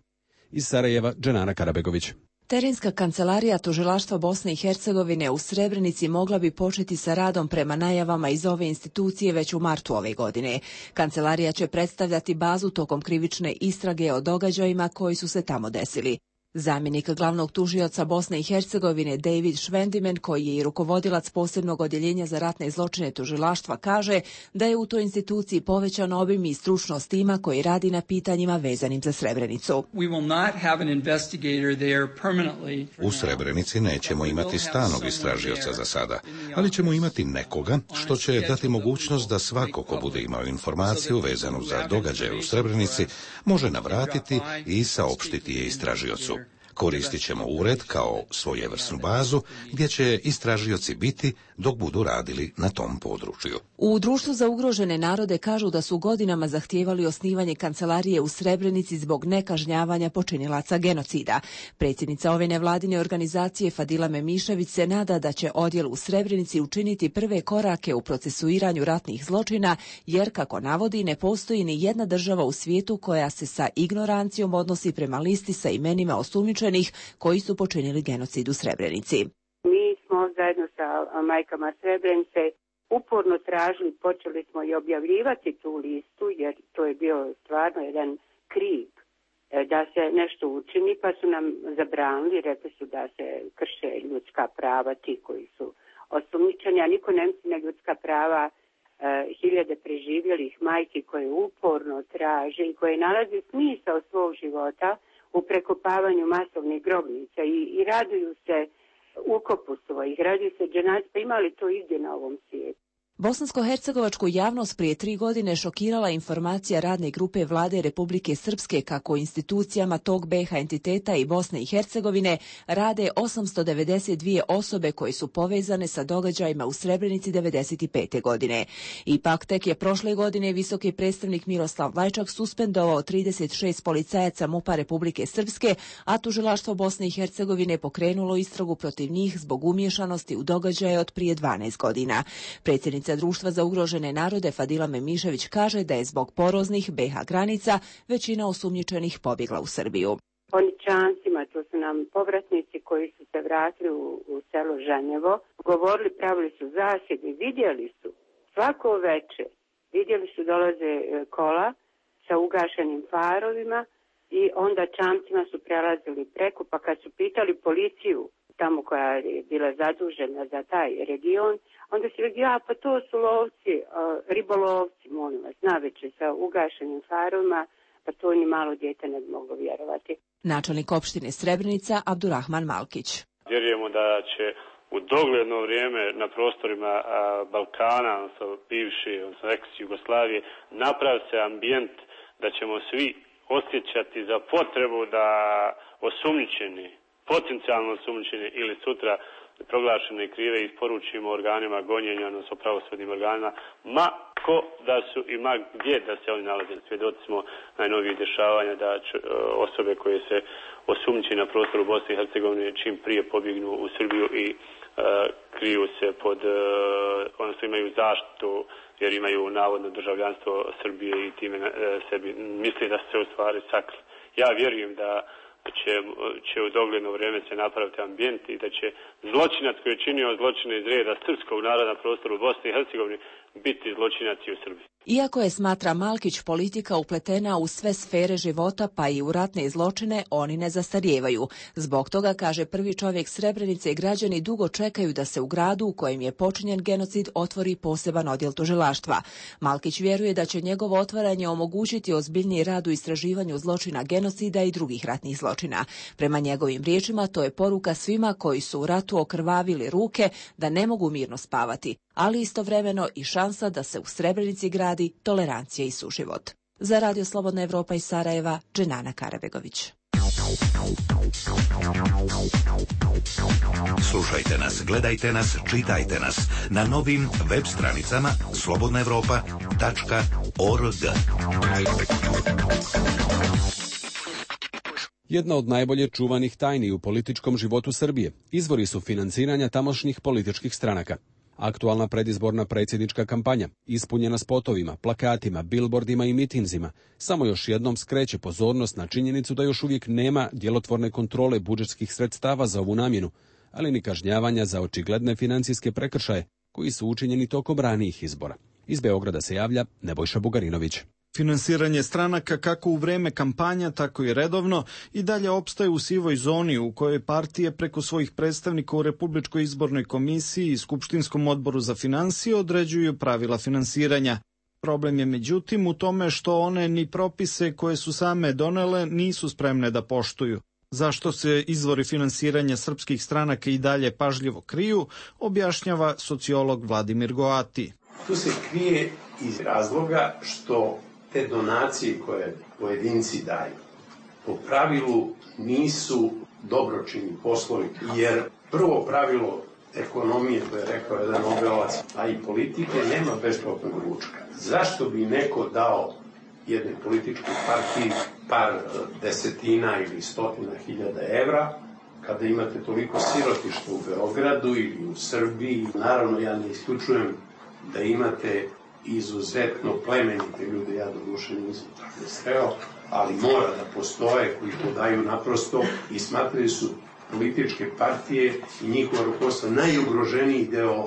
Iz Sarajeva, Dženana Karabegović. Terenska kancelarija tužilaštva Bosne i Hercegovine u Srebrenici mogla bi početi sa radom prema najavama iz ove institucije već u martu ove godine. Kancelarija će predstavljati bazu tokom krivične istrage o događajima koji su se tamo desili. Zamjenik glavnog tužioca Bosne i Hercegovine David Švendimen, koji je i rukovodilac posebnog odjeljenja za ratne zločine tužilaštva, kaže da je u toj instituciji povećan obim i stručnost tima koji radi na pitanjima vezanim za Srebrenicu. U Srebrenici nećemo imati stalnog istražioca za sada, ali ćemo imati nekoga što će dati mogućnost da svako ko bude imao informaciju vezanu za događaje u Srebrenici može navratiti i saopštiti je istražiocu. Koristit ćemo ured kao svojevrsnu bazu gdje će istražioci biti dok budu radili na tom području. U Društvu za ugrožene narode kažu da su godinama zahtijevali osnivanje kancelarije u Srebrenici zbog nekažnjavanja počinilaca genocida. Predsjednica ove nevladine organizacije Fadila Memišević se nada da će odjel u Srebrenici učiniti prve korake u procesuiranju ratnih zločina, jer, kako navodi, ne postoji ni jedna država u svijetu koja se sa ignorancijom odnosi prema listi sa imenima osumnjičenih koji su počinili genocid u Srebrenici. Mi smo zajedno sa majkama Srebrenice uporno tražili, počeli smo i objavljivati tu listu, jer to je bio stvarno jedan krik da se nešto učini, pa su nam zabranili, rekli su da se krše ljudska prava ti koji su osumnjičeni, a niko ne misli na ljudska prava e, hiljade preživjelih majki koje uporno traže i koje nalaze smisao svog života u prekopavanju masovnih grobnica i, i raduju se ukopu svojih, raduju se dženazi, pa ima li to igdje na ovom svijetu? Bosansko-hercegovačku javnost prije tri godine šokirala informacija radne grupe Vlade Republike Srpske kako u institucijama tog B iH entiteta i Bosne i Hercegovine rade osamsto devedeset dvije osobe koje su povezane sa događajima u Srebrenici devedeset pete godine. Ipak tek je prošle godine visoki predstavnik Miroslav Lajčak suspendovao trideset šest policajaca MUP-a Republike Srpske, a tužilaštvo Bosne i Hercegovine pokrenulo istragu protiv njih zbog umiješanosti u događaje od prije dvanaest godina. Predsjednica Društva za ugrožene narode Fadila Memišević kaže da je zbog poroznih B iH granica većina osumnjičenih pobjegla u Srbiju. Oni čancima, to su nam povratnici koji su se vratili u, u selo Žanjevo, govorili, pravili su zasjede, vidjeli su svako veče, vidjeli su dolaze kola sa ugašenim farovima i onda čamcima su prelazili preko, pa kad su pitali policiju tamo koja je bila zadužena za taj region, onda su rekli, ja, pa to su lovci, ribolovci, molim vas, naveče sa ugašenim farovima, pa to ni malo dijete ne bi moglo vjerovati. Načelnik opštine Srebrenica Abdurrahman Malkić. Vjerujemo da će u dogledno vrijeme na prostorima a, Balkana, odnosno bivše, odnosno ex-Jugoslavije, napravi se ambijent da ćemo svi osjećati za potrebu da osumnjičeni, potencijalno osumnjičeni ili sutra proglašene krive isporučimo organima gonjenja, odnosno pravosudnim organima, ma ko da su i ma gdje da se oni nalaze. Svjedoci smo najnovijih dešavanja da će, osobe koje se osumnjiče na prostoru Bosne i Hercegovine čim prije pobjegnu u Srbiju i uh, kriju se pod, uh, odnosno imaju zaštitu jer imaju navodno državljanstvo Srbije i time uh, sebi misli da se u stvari sakli. Ja vjerujem da će, će u dogledno vrijeme se napraviti ambijent i da će zločinac koji je činio zločine iz reda srpskog naroda na prostoru Bosne i Hercegovine biti zločinac i u Srbiji. Iako je, smatra Malkić, politika upletena u sve sfere života, pa i u ratne zločine, oni ne zastarijevaju. Zbog toga, kaže prvi čovjek Srebrenice, građani dugo čekaju da se u gradu u kojem je počinjen genocid otvori poseban odjel tužilaštva. Malkić vjeruje da će njegovo otvaranje omogućiti ozbiljniji rad u istraživanju zločina genocida i drugih ratnih zločina. Prema njegovim riječima, to je poruka svima koji su u ratu okrvavili ruke da ne mogu mirno spavati, ali istovremeno i šansa da se u Srebrenici gradi tolerancija i suživot. Za Radio Slobodna Evropa iz Sarajeva, Dženana Karabegović. Slušajte nas, gledajte nas, čitajte nas na novim web stranicama slobodna evropa tačka org. Jedna od najbolje čuvanih tajni u političkom životu Srbije izvori su financiranja tamošnjih političkih stranaka. Aktualna predizborna predsjednička kampanja, ispunjena spotovima, plakatima, bilbordima i mitinzima, samo još jednom skreće pozornost na činjenicu da još uvijek nema djelotvorne kontrole budžetskih sredstava za ovu namjenu, ali ni kažnjavanja za očigledne financijske prekršaje koji su učinjeni tokom ranijih izbora. Iz Beograda se javlja Nebojša Bugarinović. Finansiranje stranaka kako u vreme kampanja, tako i redovno i dalje opstaje u sivoj zoni u kojoj partije preko svojih predstavnika u Republičkoj izbornoj komisiji i Skupštinskom odboru za finansije određuju pravila finansiranja. Problem je međutim u tome što one ni propise koje su same donele nisu spremne da poštuju. Zašto se izvori finansiranja srpskih stranaka i dalje pažljivo kriju, objašnjava sociolog Vladimir Goati. Tu se krije iz razloga što te donacije koje pojedinci daju po pravilu nisu dobročinni poslovi, jer prvo pravilo ekonomije, to je rekao jedan Nobelovac, a i politike, nema besplatnog ručka. Zašto bi neko dao jednoj političkoj partiji par desetina ili stotina hiljada evra, kada imate toliko sirotišta u Beogradu ili u Srbiji? Naravno, ja ne isključujem da imate izuzetno plemenite ljude, ja do duše nisam tako sreo, ali mora da postoje koji to daju naprosto i smatraju su političke partije i njihova rukovodstva najugroženiji deo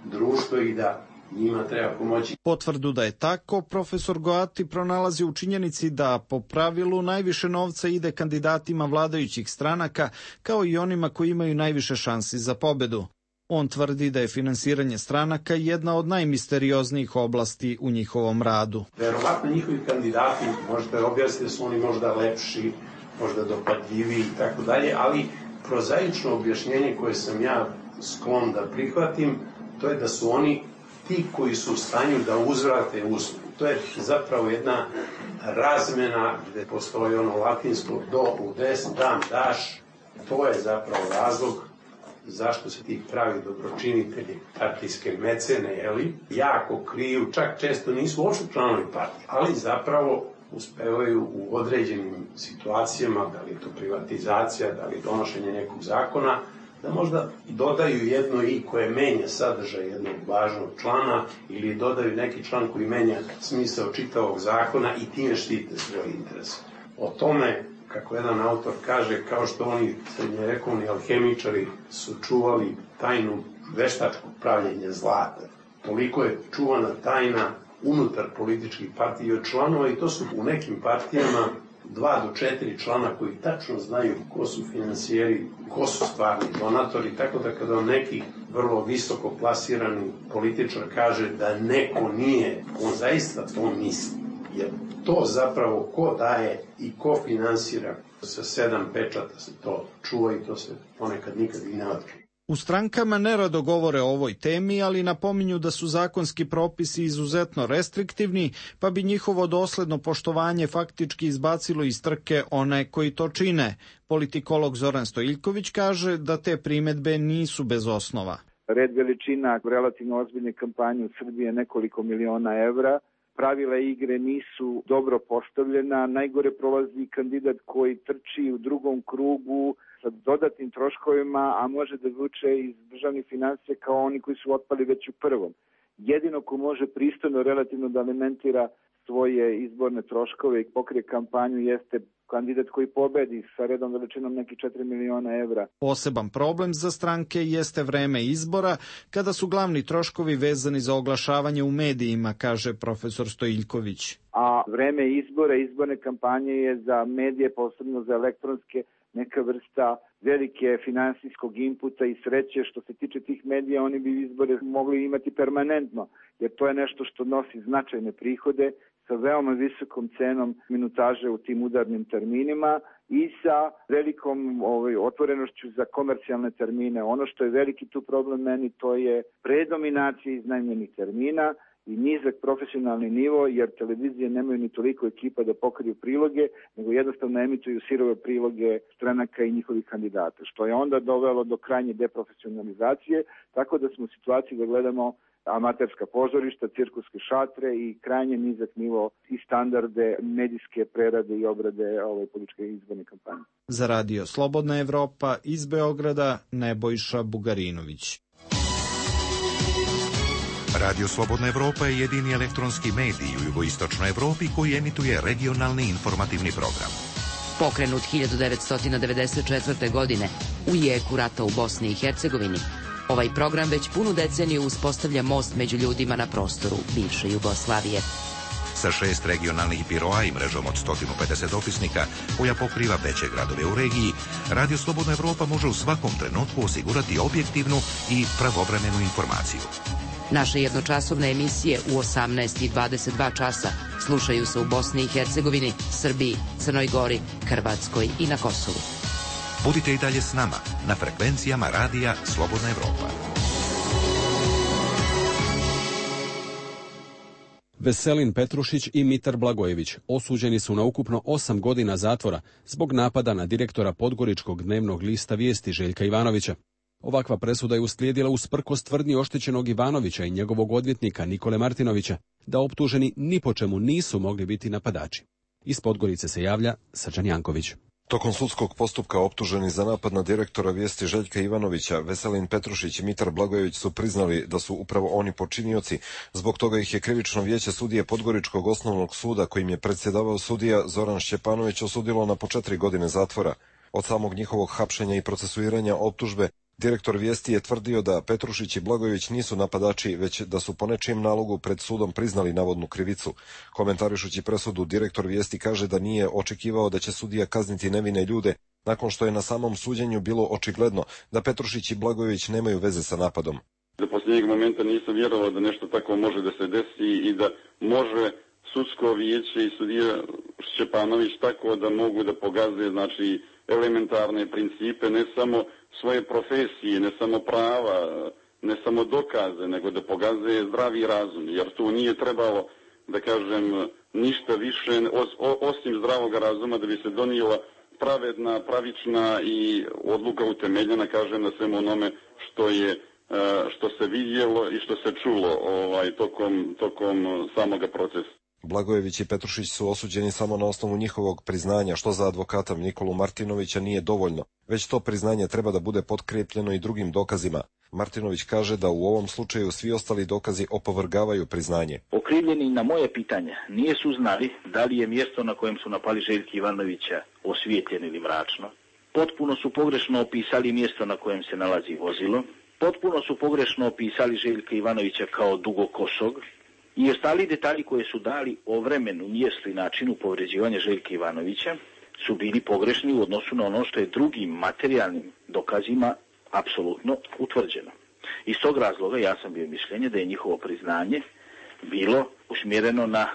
društva i da njima treba pomoći. Potvrdu da je tako, profesor Goati pronalazi u činjenici da po pravilu najviše novca ide kandidatima vladajućih stranaka, kao i onima koji imaju najviše šansi za pobedu. On tvrdi da je finansiranje stranaka jedna od najmisterioznijih oblasti u njihovom radu. Verovatno njihovi kandidati, možete objasniti da su oni možda lepši, možda dopadljiviji i tako dalje, ali prozaično objašnjenje koje sam ja sklon da prihvatim, to je da su oni ti koji su u stanju da uzvrate uslugu. To je zapravo jedna razmena gde postoji ono latinsko do u des, dam, daš. To je zapravo razlog zašto se ti pravi dobročinitelji, partijske mecene, jeli, jako kriju, čak često nisu uopšte članovi partije, ali zapravo uspevaju u određenim situacijama, da li je to privatizacija, da li je donošenje nekog zakona, da možda dodaju jedno i koje menja sadržaj jednog važnog člana ili dodaju neki član koji menja smisao čitavog zakona i time štite svoje interese. O tome kako jedan autor kaže, kao što oni srednjevekovni alhemičari su čuvali tajnu veštačkog pravljenja zlata. Toliko je čuvana tajna unutar političkih partija od članova i to su u nekim partijama dva do četiri člana koji tačno znaju ko su finansijeri, ko su stvarni donatori, tako da kada neki vrlo visoko plasirani političar kaže da neko nije, on zaista to misli. Jer to zapravo ko daje i ko finansira sa sedam pečata se to čuva i to se ponekad nikad i ne otkrije. U strankama nerado govore o ovoj temi, ali napominju da su zakonski propisi izuzetno restriktivni, pa bi njihovo dosledno poštovanje faktički izbacilo iz trke one koji to čine. Politikolog Zoran Stojiljković kaže da te primedbe nisu bez osnova. Red veličina relativno ozbiljne kampanje u Srbiji je nekoliko miliona evra. Pravila igre nisu dobro postavljena. Najgore prolazi kandidat koji trči u drugom krugu sa dodatnim troškovima, a može da zvuče iz državnih finansija kao oni koji su otpali već u prvom. Jedino ko može pristojno relativno da alimentira svoje izborne troškove i pokrije kampanju jeste kandidat koji pobedi sa redom veličinom nekih četiri miliona evra. Poseban problem za stranke jeste vreme izbora, kada su glavni troškovi vezani za oglašavanje u medijima, kaže profesor Stojiljković. A vreme izbora, izborne kampanje je za medije, posebno za elektronske, neka vrsta velike finansijskog inputa i sreće. Što se tiče tih medija, oni bi izbore mogli imati permanentno, jer to je nešto što nosi značajne prihode sa veoma visokom cenom minutaže u tim udarnim terminima i sa velikom ovaj, otvorenošću za komercijalne termine. Ono što je veliki tu problem meni, to je predominacija iznajmljenih termina i nizak profesionalni nivo, jer televizije nemaju ni toliko ekipa da pokriju priloge, nego jednostavno emituju sirove priloge stranaka i njihovih kandidata, što je onda dovelo do krajnje deprofesionalizacije, tako da smo u situaciji da gledamo amaterska pozorišta, cirkuske šatre i krajnje nizak nivo i standarde medijske prerade i obrade ove političke izborne kampanje. Za radio Slobodna Evropa iz Beograda Nebojša Bugarinović. Radio Slobodna Evropa je jedini elektronski medij u jugoistočnoj Evropi koji emituje regionalni informativni program. Pokrenut hiljadu devetsto devedeset četvrte. godine u jeku rata u Bosni i Hercegovini, ovaj program već punu deceniju uspostavlja most među ljudima na prostoru bivše Jugoslavije. Sa šest regionalnih biroa i mrežom od sto pedeset dopisnika koja pokriva veće gradove u regiji, Radio Slobodna Evropa može u svakom trenutku osigurati objektivnu i pravovremenu informaciju. Naše jednočasovne emisije u osamnaest i dvadeset dva časa slušaju se u Bosni i Hercegovini, Srbiji, Crnoj Gori, Hrvatskoj i na Kosovu. Budite i dalje s nama na frekvencijama radija Slobodna Evropa. Veselin Petrušić i Mitar Blagojević osuđeni su na ukupno osam godina zatvora zbog napada na direktora Podgoričkog dnevnog lista Vijesti Željka Ivanovića. Ovakva presuda je uslijedila usprkos tvrdnji oštećenog Ivanovića i njegovog odvjetnika Nikole Martinovića da optuženi ni po čemu nisu mogli biti napadači. Iz Podgorice se javlja Srđan Janković. Tokom sudskog postupka optuženi za napad na direktora Vijesti Željka Ivanovića, Veselin Petrušić i Mitar Blagojević su priznali da su upravo oni počinioci. Zbog toga ih je krivično vijeće sudije Podgoričkog osnovnog suda, kojim je predsjedavao sudija Zoran Šćepanović, osudilo na po četiri godine zatvora. Od samog njihovog hapšenja i procesuiranja optužbe, direktor Vijesti je tvrdio da Petrušić i Blagojević nisu napadači, već da su po nečijem nalogu pred sudom priznali navodnu krivicu. Komentarišući presudu, direktor Vijesti kaže da nije očekivao da će sudija kazniti nevine ljude, nakon što je na samom suđenju bilo očigledno da Petrušić i Blagojević nemaju veze sa napadom. Do posljednjeg momenta nisam vjerovao da nešto tako može da se desi i da može sudsko vijeće i sudija Šćepanović tako da mogu da pogaze, znači, elementarne principe, ne samo svoje profesije, ne samo prava, ne samo dokaze, nego da pokazuje zdravi razum, jer tu nije trebalo, da kažem, ništa više osim zdravog razuma da bi se donijela pravedna, pravična i odluka utemeljena, kažem, na svemu onome što je što se vidjelo i što se čulo ovaj, tokom, tokom samoga procesa. Blagojević i Petrušić su osuđeni samo na osnovu njihovog priznanja, što za advokata Nikolu Martinovića nije dovoljno, već to priznanje treba da bude potkrepljeno i drugim dokazima. Martinović kaže da u ovom slučaju svi ostali dokazi opovrgavaju priznanje. Okrivljeni na moje pitanje nije su znali da li je mjesto na kojem su napali Željka Ivanovića osvijetljeno ili mračno. Potpuno su pogrešno opisali mjesto na kojem se nalazi vozilo. Potpuno su pogrešno opisali Željka Ivanovića kao dugokosog. I ostali detalji koje su dali o vremenu, mjestu i načinu povređivanja Željka Ivanovića su bili pogrešni u odnosu na ono što je drugim materijalnim dokazima apsolutno utvrđeno. Iz tog razloga ja sam bio mišljenje da je njihovo priznanje bilo usmjereno na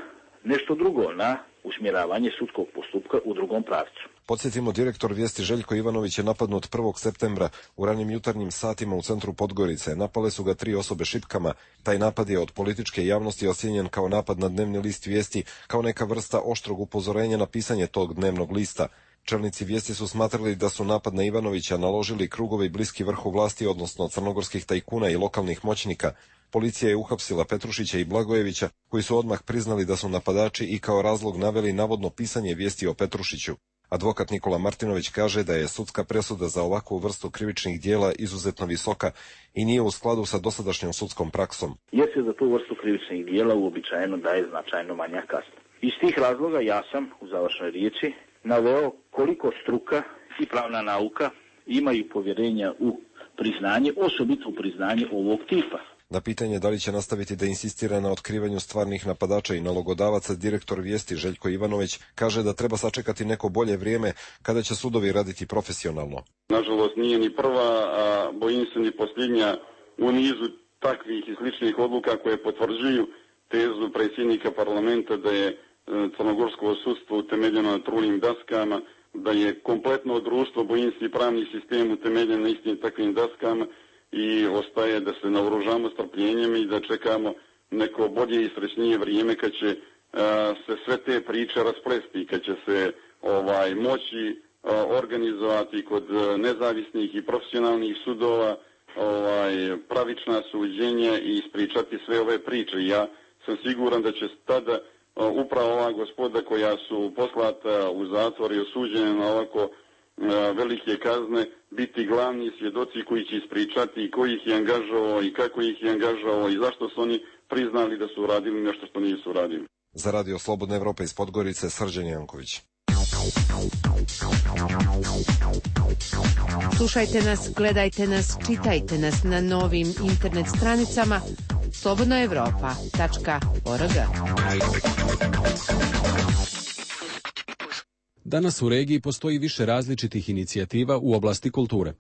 nešto drugo, na usmjeravanje sudskog postupka u drugom pravcu. Podsjetimo, direktor Vijesti Željko Ivanović je napadnut prvog septembra u ranim jutarnjim satima u centru Podgorice. Napale su ga tri osobe šipkama. Taj napad je od političke javnosti ocijenjen kao napad na dnevni list Vijesti, kao neka vrsta oštrog upozorenja na pisanje tog dnevnog lista. Čelnici Vijesti su smatrali da su napad na Ivanovića naložili krugovi bliski vrhu vlasti, odnosno crnogorskih tajkuna i lokalnih moćnika. Policija je uhapsila Petrušića i Blagojevića, koji su odmah priznali da su napadači i kao razlog naveli navodno pisanje vijesti o Petrušiću. Advokat Nikola Martinović kaže da je sudska presuda za ovakvu vrstu krivičnih dijela izuzetno visoka i nije u skladu sa dosadašnjom sudskom praksom. Jer se za tu vrstu krivičnih dijela uobičajeno daje značajno manja kazna. Iz tih razloga ja sam u završnoj riječi naveo koliko struka i pravna nauka imaju povjerenja u priznanje, osobito u priznanje ovog tipa. Na pitanje da li će nastaviti da insistira na otkrivanju stvarnih napadača i nalogodavaca, direktor Vijesti Željko Ivanović kaže da treba sačekati neko bolje vrijeme kada će sudovi raditi profesionalno. Nažalost nije ni prva, a bojim se ni posljednja u nizu takvih i sličnih odluka koje potvrđuju tezu predsjednika parlamenta da je crnogorsko sudstvo utemeljeno na trulim daskama, da je kompletno društvo, bojim se i pravni sistem utemeljen na istim takvim daskama, i ostaje da se naoružamo strpljenjem i da čekamo neko bolje i srećnije vrijeme kad će a, se sve te priče rasplesti, kad će se ovaj moći a, organizovati kod nezavisnih i profesionalnih sudova ovaj pravična suđenja i ispričati sve ove priče. Ja sam siguran da će tada a, upravo ova gospoda koja su poslata u zatvor i osuđena na ovako velike kazne biti glavni svjedoci koji će ispričati ko ih je angažovao i kako ih je angažovao i zašto su oni priznali da su radili nešto što nisu radili. Za Radio Slobodna Evropa iz Podgorice, Srđan Janković. Slušajte nas, gledajte nas, čitajte nas na novim internet stranicama slobodna evropa tačka org. Danas u regiji postoji više različitih inicijativa u oblasti kulture.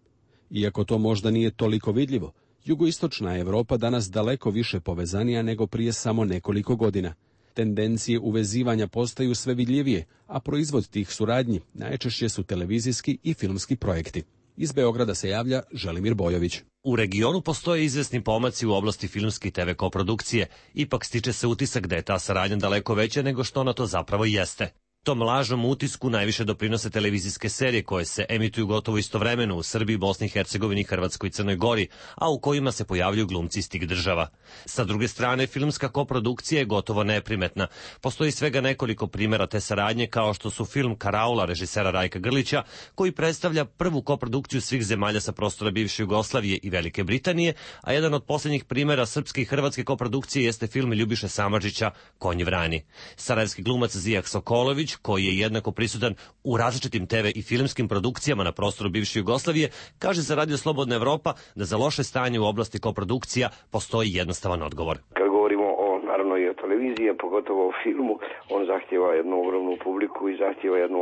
Iako to možda nije toliko vidljivo, jugoistočna Evropa danas daleko više povezanija nego prije samo nekoliko godina. Tendencije uvezivanja postaju sve vidljivije, a proizvod tih suradnji najčešće su televizijski i filmski projekti. Iz Beograda se javlja Želimir Bojović. U regionu postoje izvesni pomaci u oblasti filmske i te ve koprodukcije, ipak stiče se utisak da je ta saradnja daleko veća nego što ona to zapravo jeste. Tom lažnom utisku najviše doprinose televizijske serije koje se emituju gotovo istovremeno u Srbiji, Bosni i Hercegovini, Hrvatskoj i Crnoj Gori, a u kojima se pojavljuju glumci iz tih država. Sa druge strane, filmska koprodukcija je gotovo neprimetna. Postoji svega nekoliko primjera te saradnje, kao što su film Karaula režisera Rajka Grlića, koji predstavlja prvu koprodukciju svih zemalja sa prostora bivše Jugoslavije i Velike Britanije, a jedan od posljednjih primjera srpske i hrvatske koprodukcije jeste film Ljubiše Samardžića Konji vrani. Sarajevski glumac Zijak Sokolović, koji je jednako prisutan u različitim te ve i filmskim produkcijama na prostoru bivše Jugoslavije, kaže za Radio Slobodna Evropa da za loše stanje u oblasti koprodukcija postoji jednostavan odgovor. Kad govorimo o, naravno i o televiziji, pogotovo o filmu, on zahtjeva jednu ogromnu publiku i zahtjeva jednu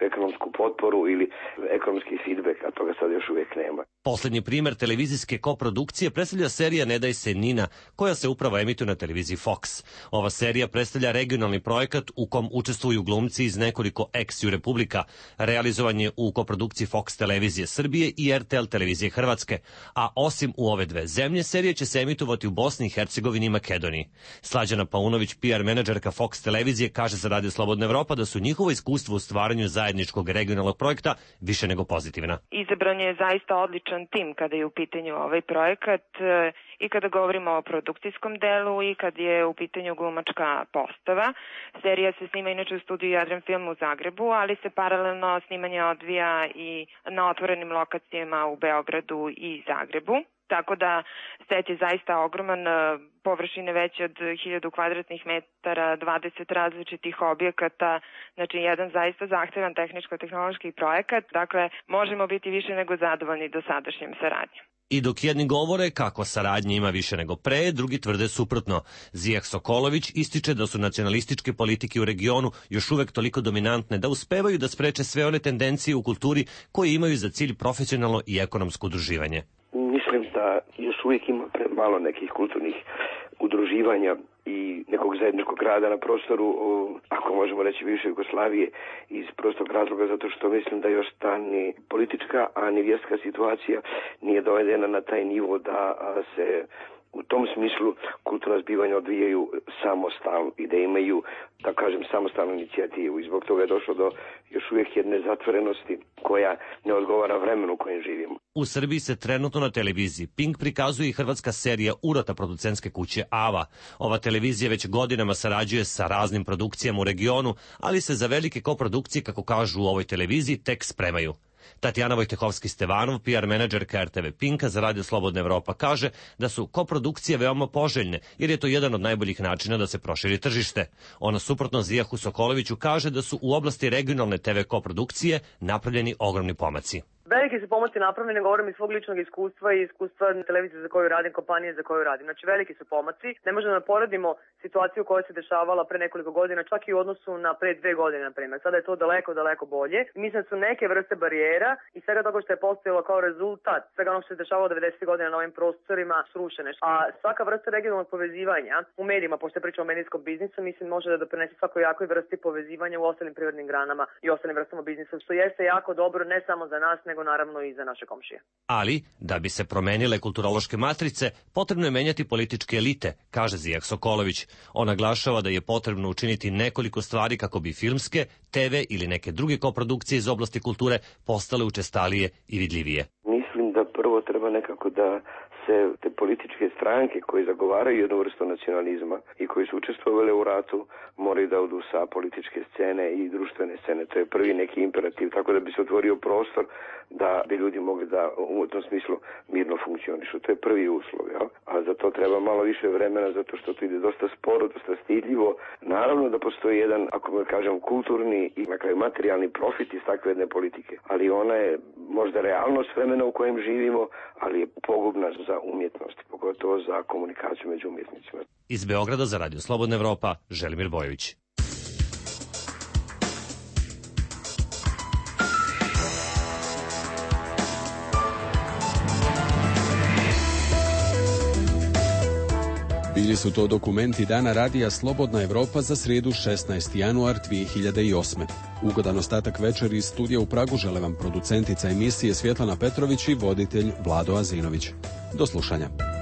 ekonomsku potporu ili ekonomski feedback, a toga sad još uvijek nema. Poslednji primjer televizijske koprodukcije predstavlja serija Ne daj se Nina, koja se upravo emituje na televiziji Fox. Ova serija predstavlja regionalni projekat u kom učestvuju glumci iz nekoliko ex-ju republika. Realizovan je u koprodukciji Fox televizije Srbije i er te el televizije Hrvatske, a osim u ove dve zemlje, serija će se emitovati u Bosni i Hercegovini i Makedoniji. Slađana Tatjana Paunović, P R menadžerka Fox televizije, kaže za Radio Slobodna Evropa da su njihovo iskustvo u stvaranju zajedničkog regionalnog projekta više nego pozitivna. Izabran je zaista odličan tim kada je u pitanju ovaj projekat i kada govorimo o produkcijskom delu i kad je u pitanju glumačka postava. Serija se snima inače u studiju Jadran Film u Zagrebu, ali se paralelno snimanje odvija i na otvorenim lokacijama u Beogradu i Zagrebu. Tako da set je zaista ogroman, površine veće od hiljadu kvadratnih metara, dvadeset različitih objekata, znači jedan zaista zahtevan tehničko-tehnološki projekat, dakle možemo biti više nego zadovoljni dosadašnjim saradnjom. I dok jedni govore kako saradnje ima više nego pre, drugi tvrde suprotno. Zijah Sokolović ističe da su nacionalističke politike u regionu još uvek toliko dominantne da uspevaju da spreče sve one tendencije u kulturi koje imaju za cilj profesionalno i ekonomsko udruživanje. Mislim da još uvijek ima premalo nekih kulturnih udruživanja i nekog zajedničkog rada na prostoru, ako možemo reći, bivše Jugoslavije, iz prostog razloga zato što mislim da još ta ni politička, a ni vjerska situacija nije dovedena na taj nivo da se u tom smislu kulturna zbivanja odvijaju samostalno i da imaju, da kažem, samostalnu inicijativu. I zbog toga je došlo do još uvijek jedne zatvorenosti koja ne odgovara vremenu u kojem živimo. U Srbiji se trenutno na televiziji Pink prikazuje i hrvatska serija Urota producentske kuće Ava. Ova televizija već godinama sarađuje sa raznim produkcijama u regionu, ali se za velike koprodukcije, kako kažu u ovoj televiziji, tek spremaju. Tatjana Vojtehovski-Stevanov, P R menadžerka R T V Pinka za Radio Slobodna Evropa, kaže da su koprodukcije veoma poželjne, jer je to jedan od najboljih načina da se proširi tržište. Ona suprotno Zijahu Sokoloviću kaže da su u oblasti regionalne T V koprodukcije napravljeni ogromni pomaci. Veliki su pomaci napravljeni, govorim iz svog ličnog iskustva i iskustva televizije za koju radim, kompanije za koju radim. Znači veliki su pomaci. Ne možemo da poredimo situaciju koja se dešavala pre nekoliko godina, čak i u odnosu na pre dve godine, na primjer. Sada je to daleko, daleko bolje. Mislim da su neke vrste barijera i svega toga što je postojalo kao rezultat, svega ono što se dešavalo devedesetih godina na ovim prostorima srušene. A svaka vrsta regionalnog povezivanja u medijima, pošto pričamo o medijskom biznisu, mislim može da doprinese svakoj jakoj vrsti povezivanja u ostalim prirodnim granama i ostalim vrstama biznisa, što jeste jako dobro ne samo za nas, nego naravno i za naše komšije. Ali, da bi se promenile kulturološke matrice, potrebno je menjati političke elite, kaže Zijah Sokolović. On naglašava da je potrebno učiniti nekoliko stvari kako bi filmske, T V ili neke druge koprodukcije iz oblasti kulture postale učestalije i vidljivije. Mislim da prvo treba nekako da se te političke stranke koje zagovaraju jednu vrstu nacionalizma i koji su učestvovali u ratu moraju da odu sa političke scene i društvene scene. To je prvi neki imperativ, tako da bi se otvorio prostor da bi ljudi mogli da u tom smislu mirno funkcionišu. To je prvi uslov, ja? A za to treba malo više vremena zato što to ide dosta sporo, dosta stidljivo. Naravno da postoji jedan, ako ga kažem, kulturni i na kraju materijalni profit iz takve jedne politike, ali ona je možda realnost vremena u kojem živimo, ali je pogubna za umjetnost, pogotovo za komunikaciju među umjetnicima. Iz Beograda za Radio Slobodna Evropa, Želimir Bojović. Bili su to dokumenti Dana Radija Slobodna Evropa za srijedu šesnaesti januar dvije hiljade osme. Ugodan ostatak večeri iz studija u Pragu žele vam producentica emisije Svjetlana Petrović i voditelj Vlado Azinović. Do slušanja.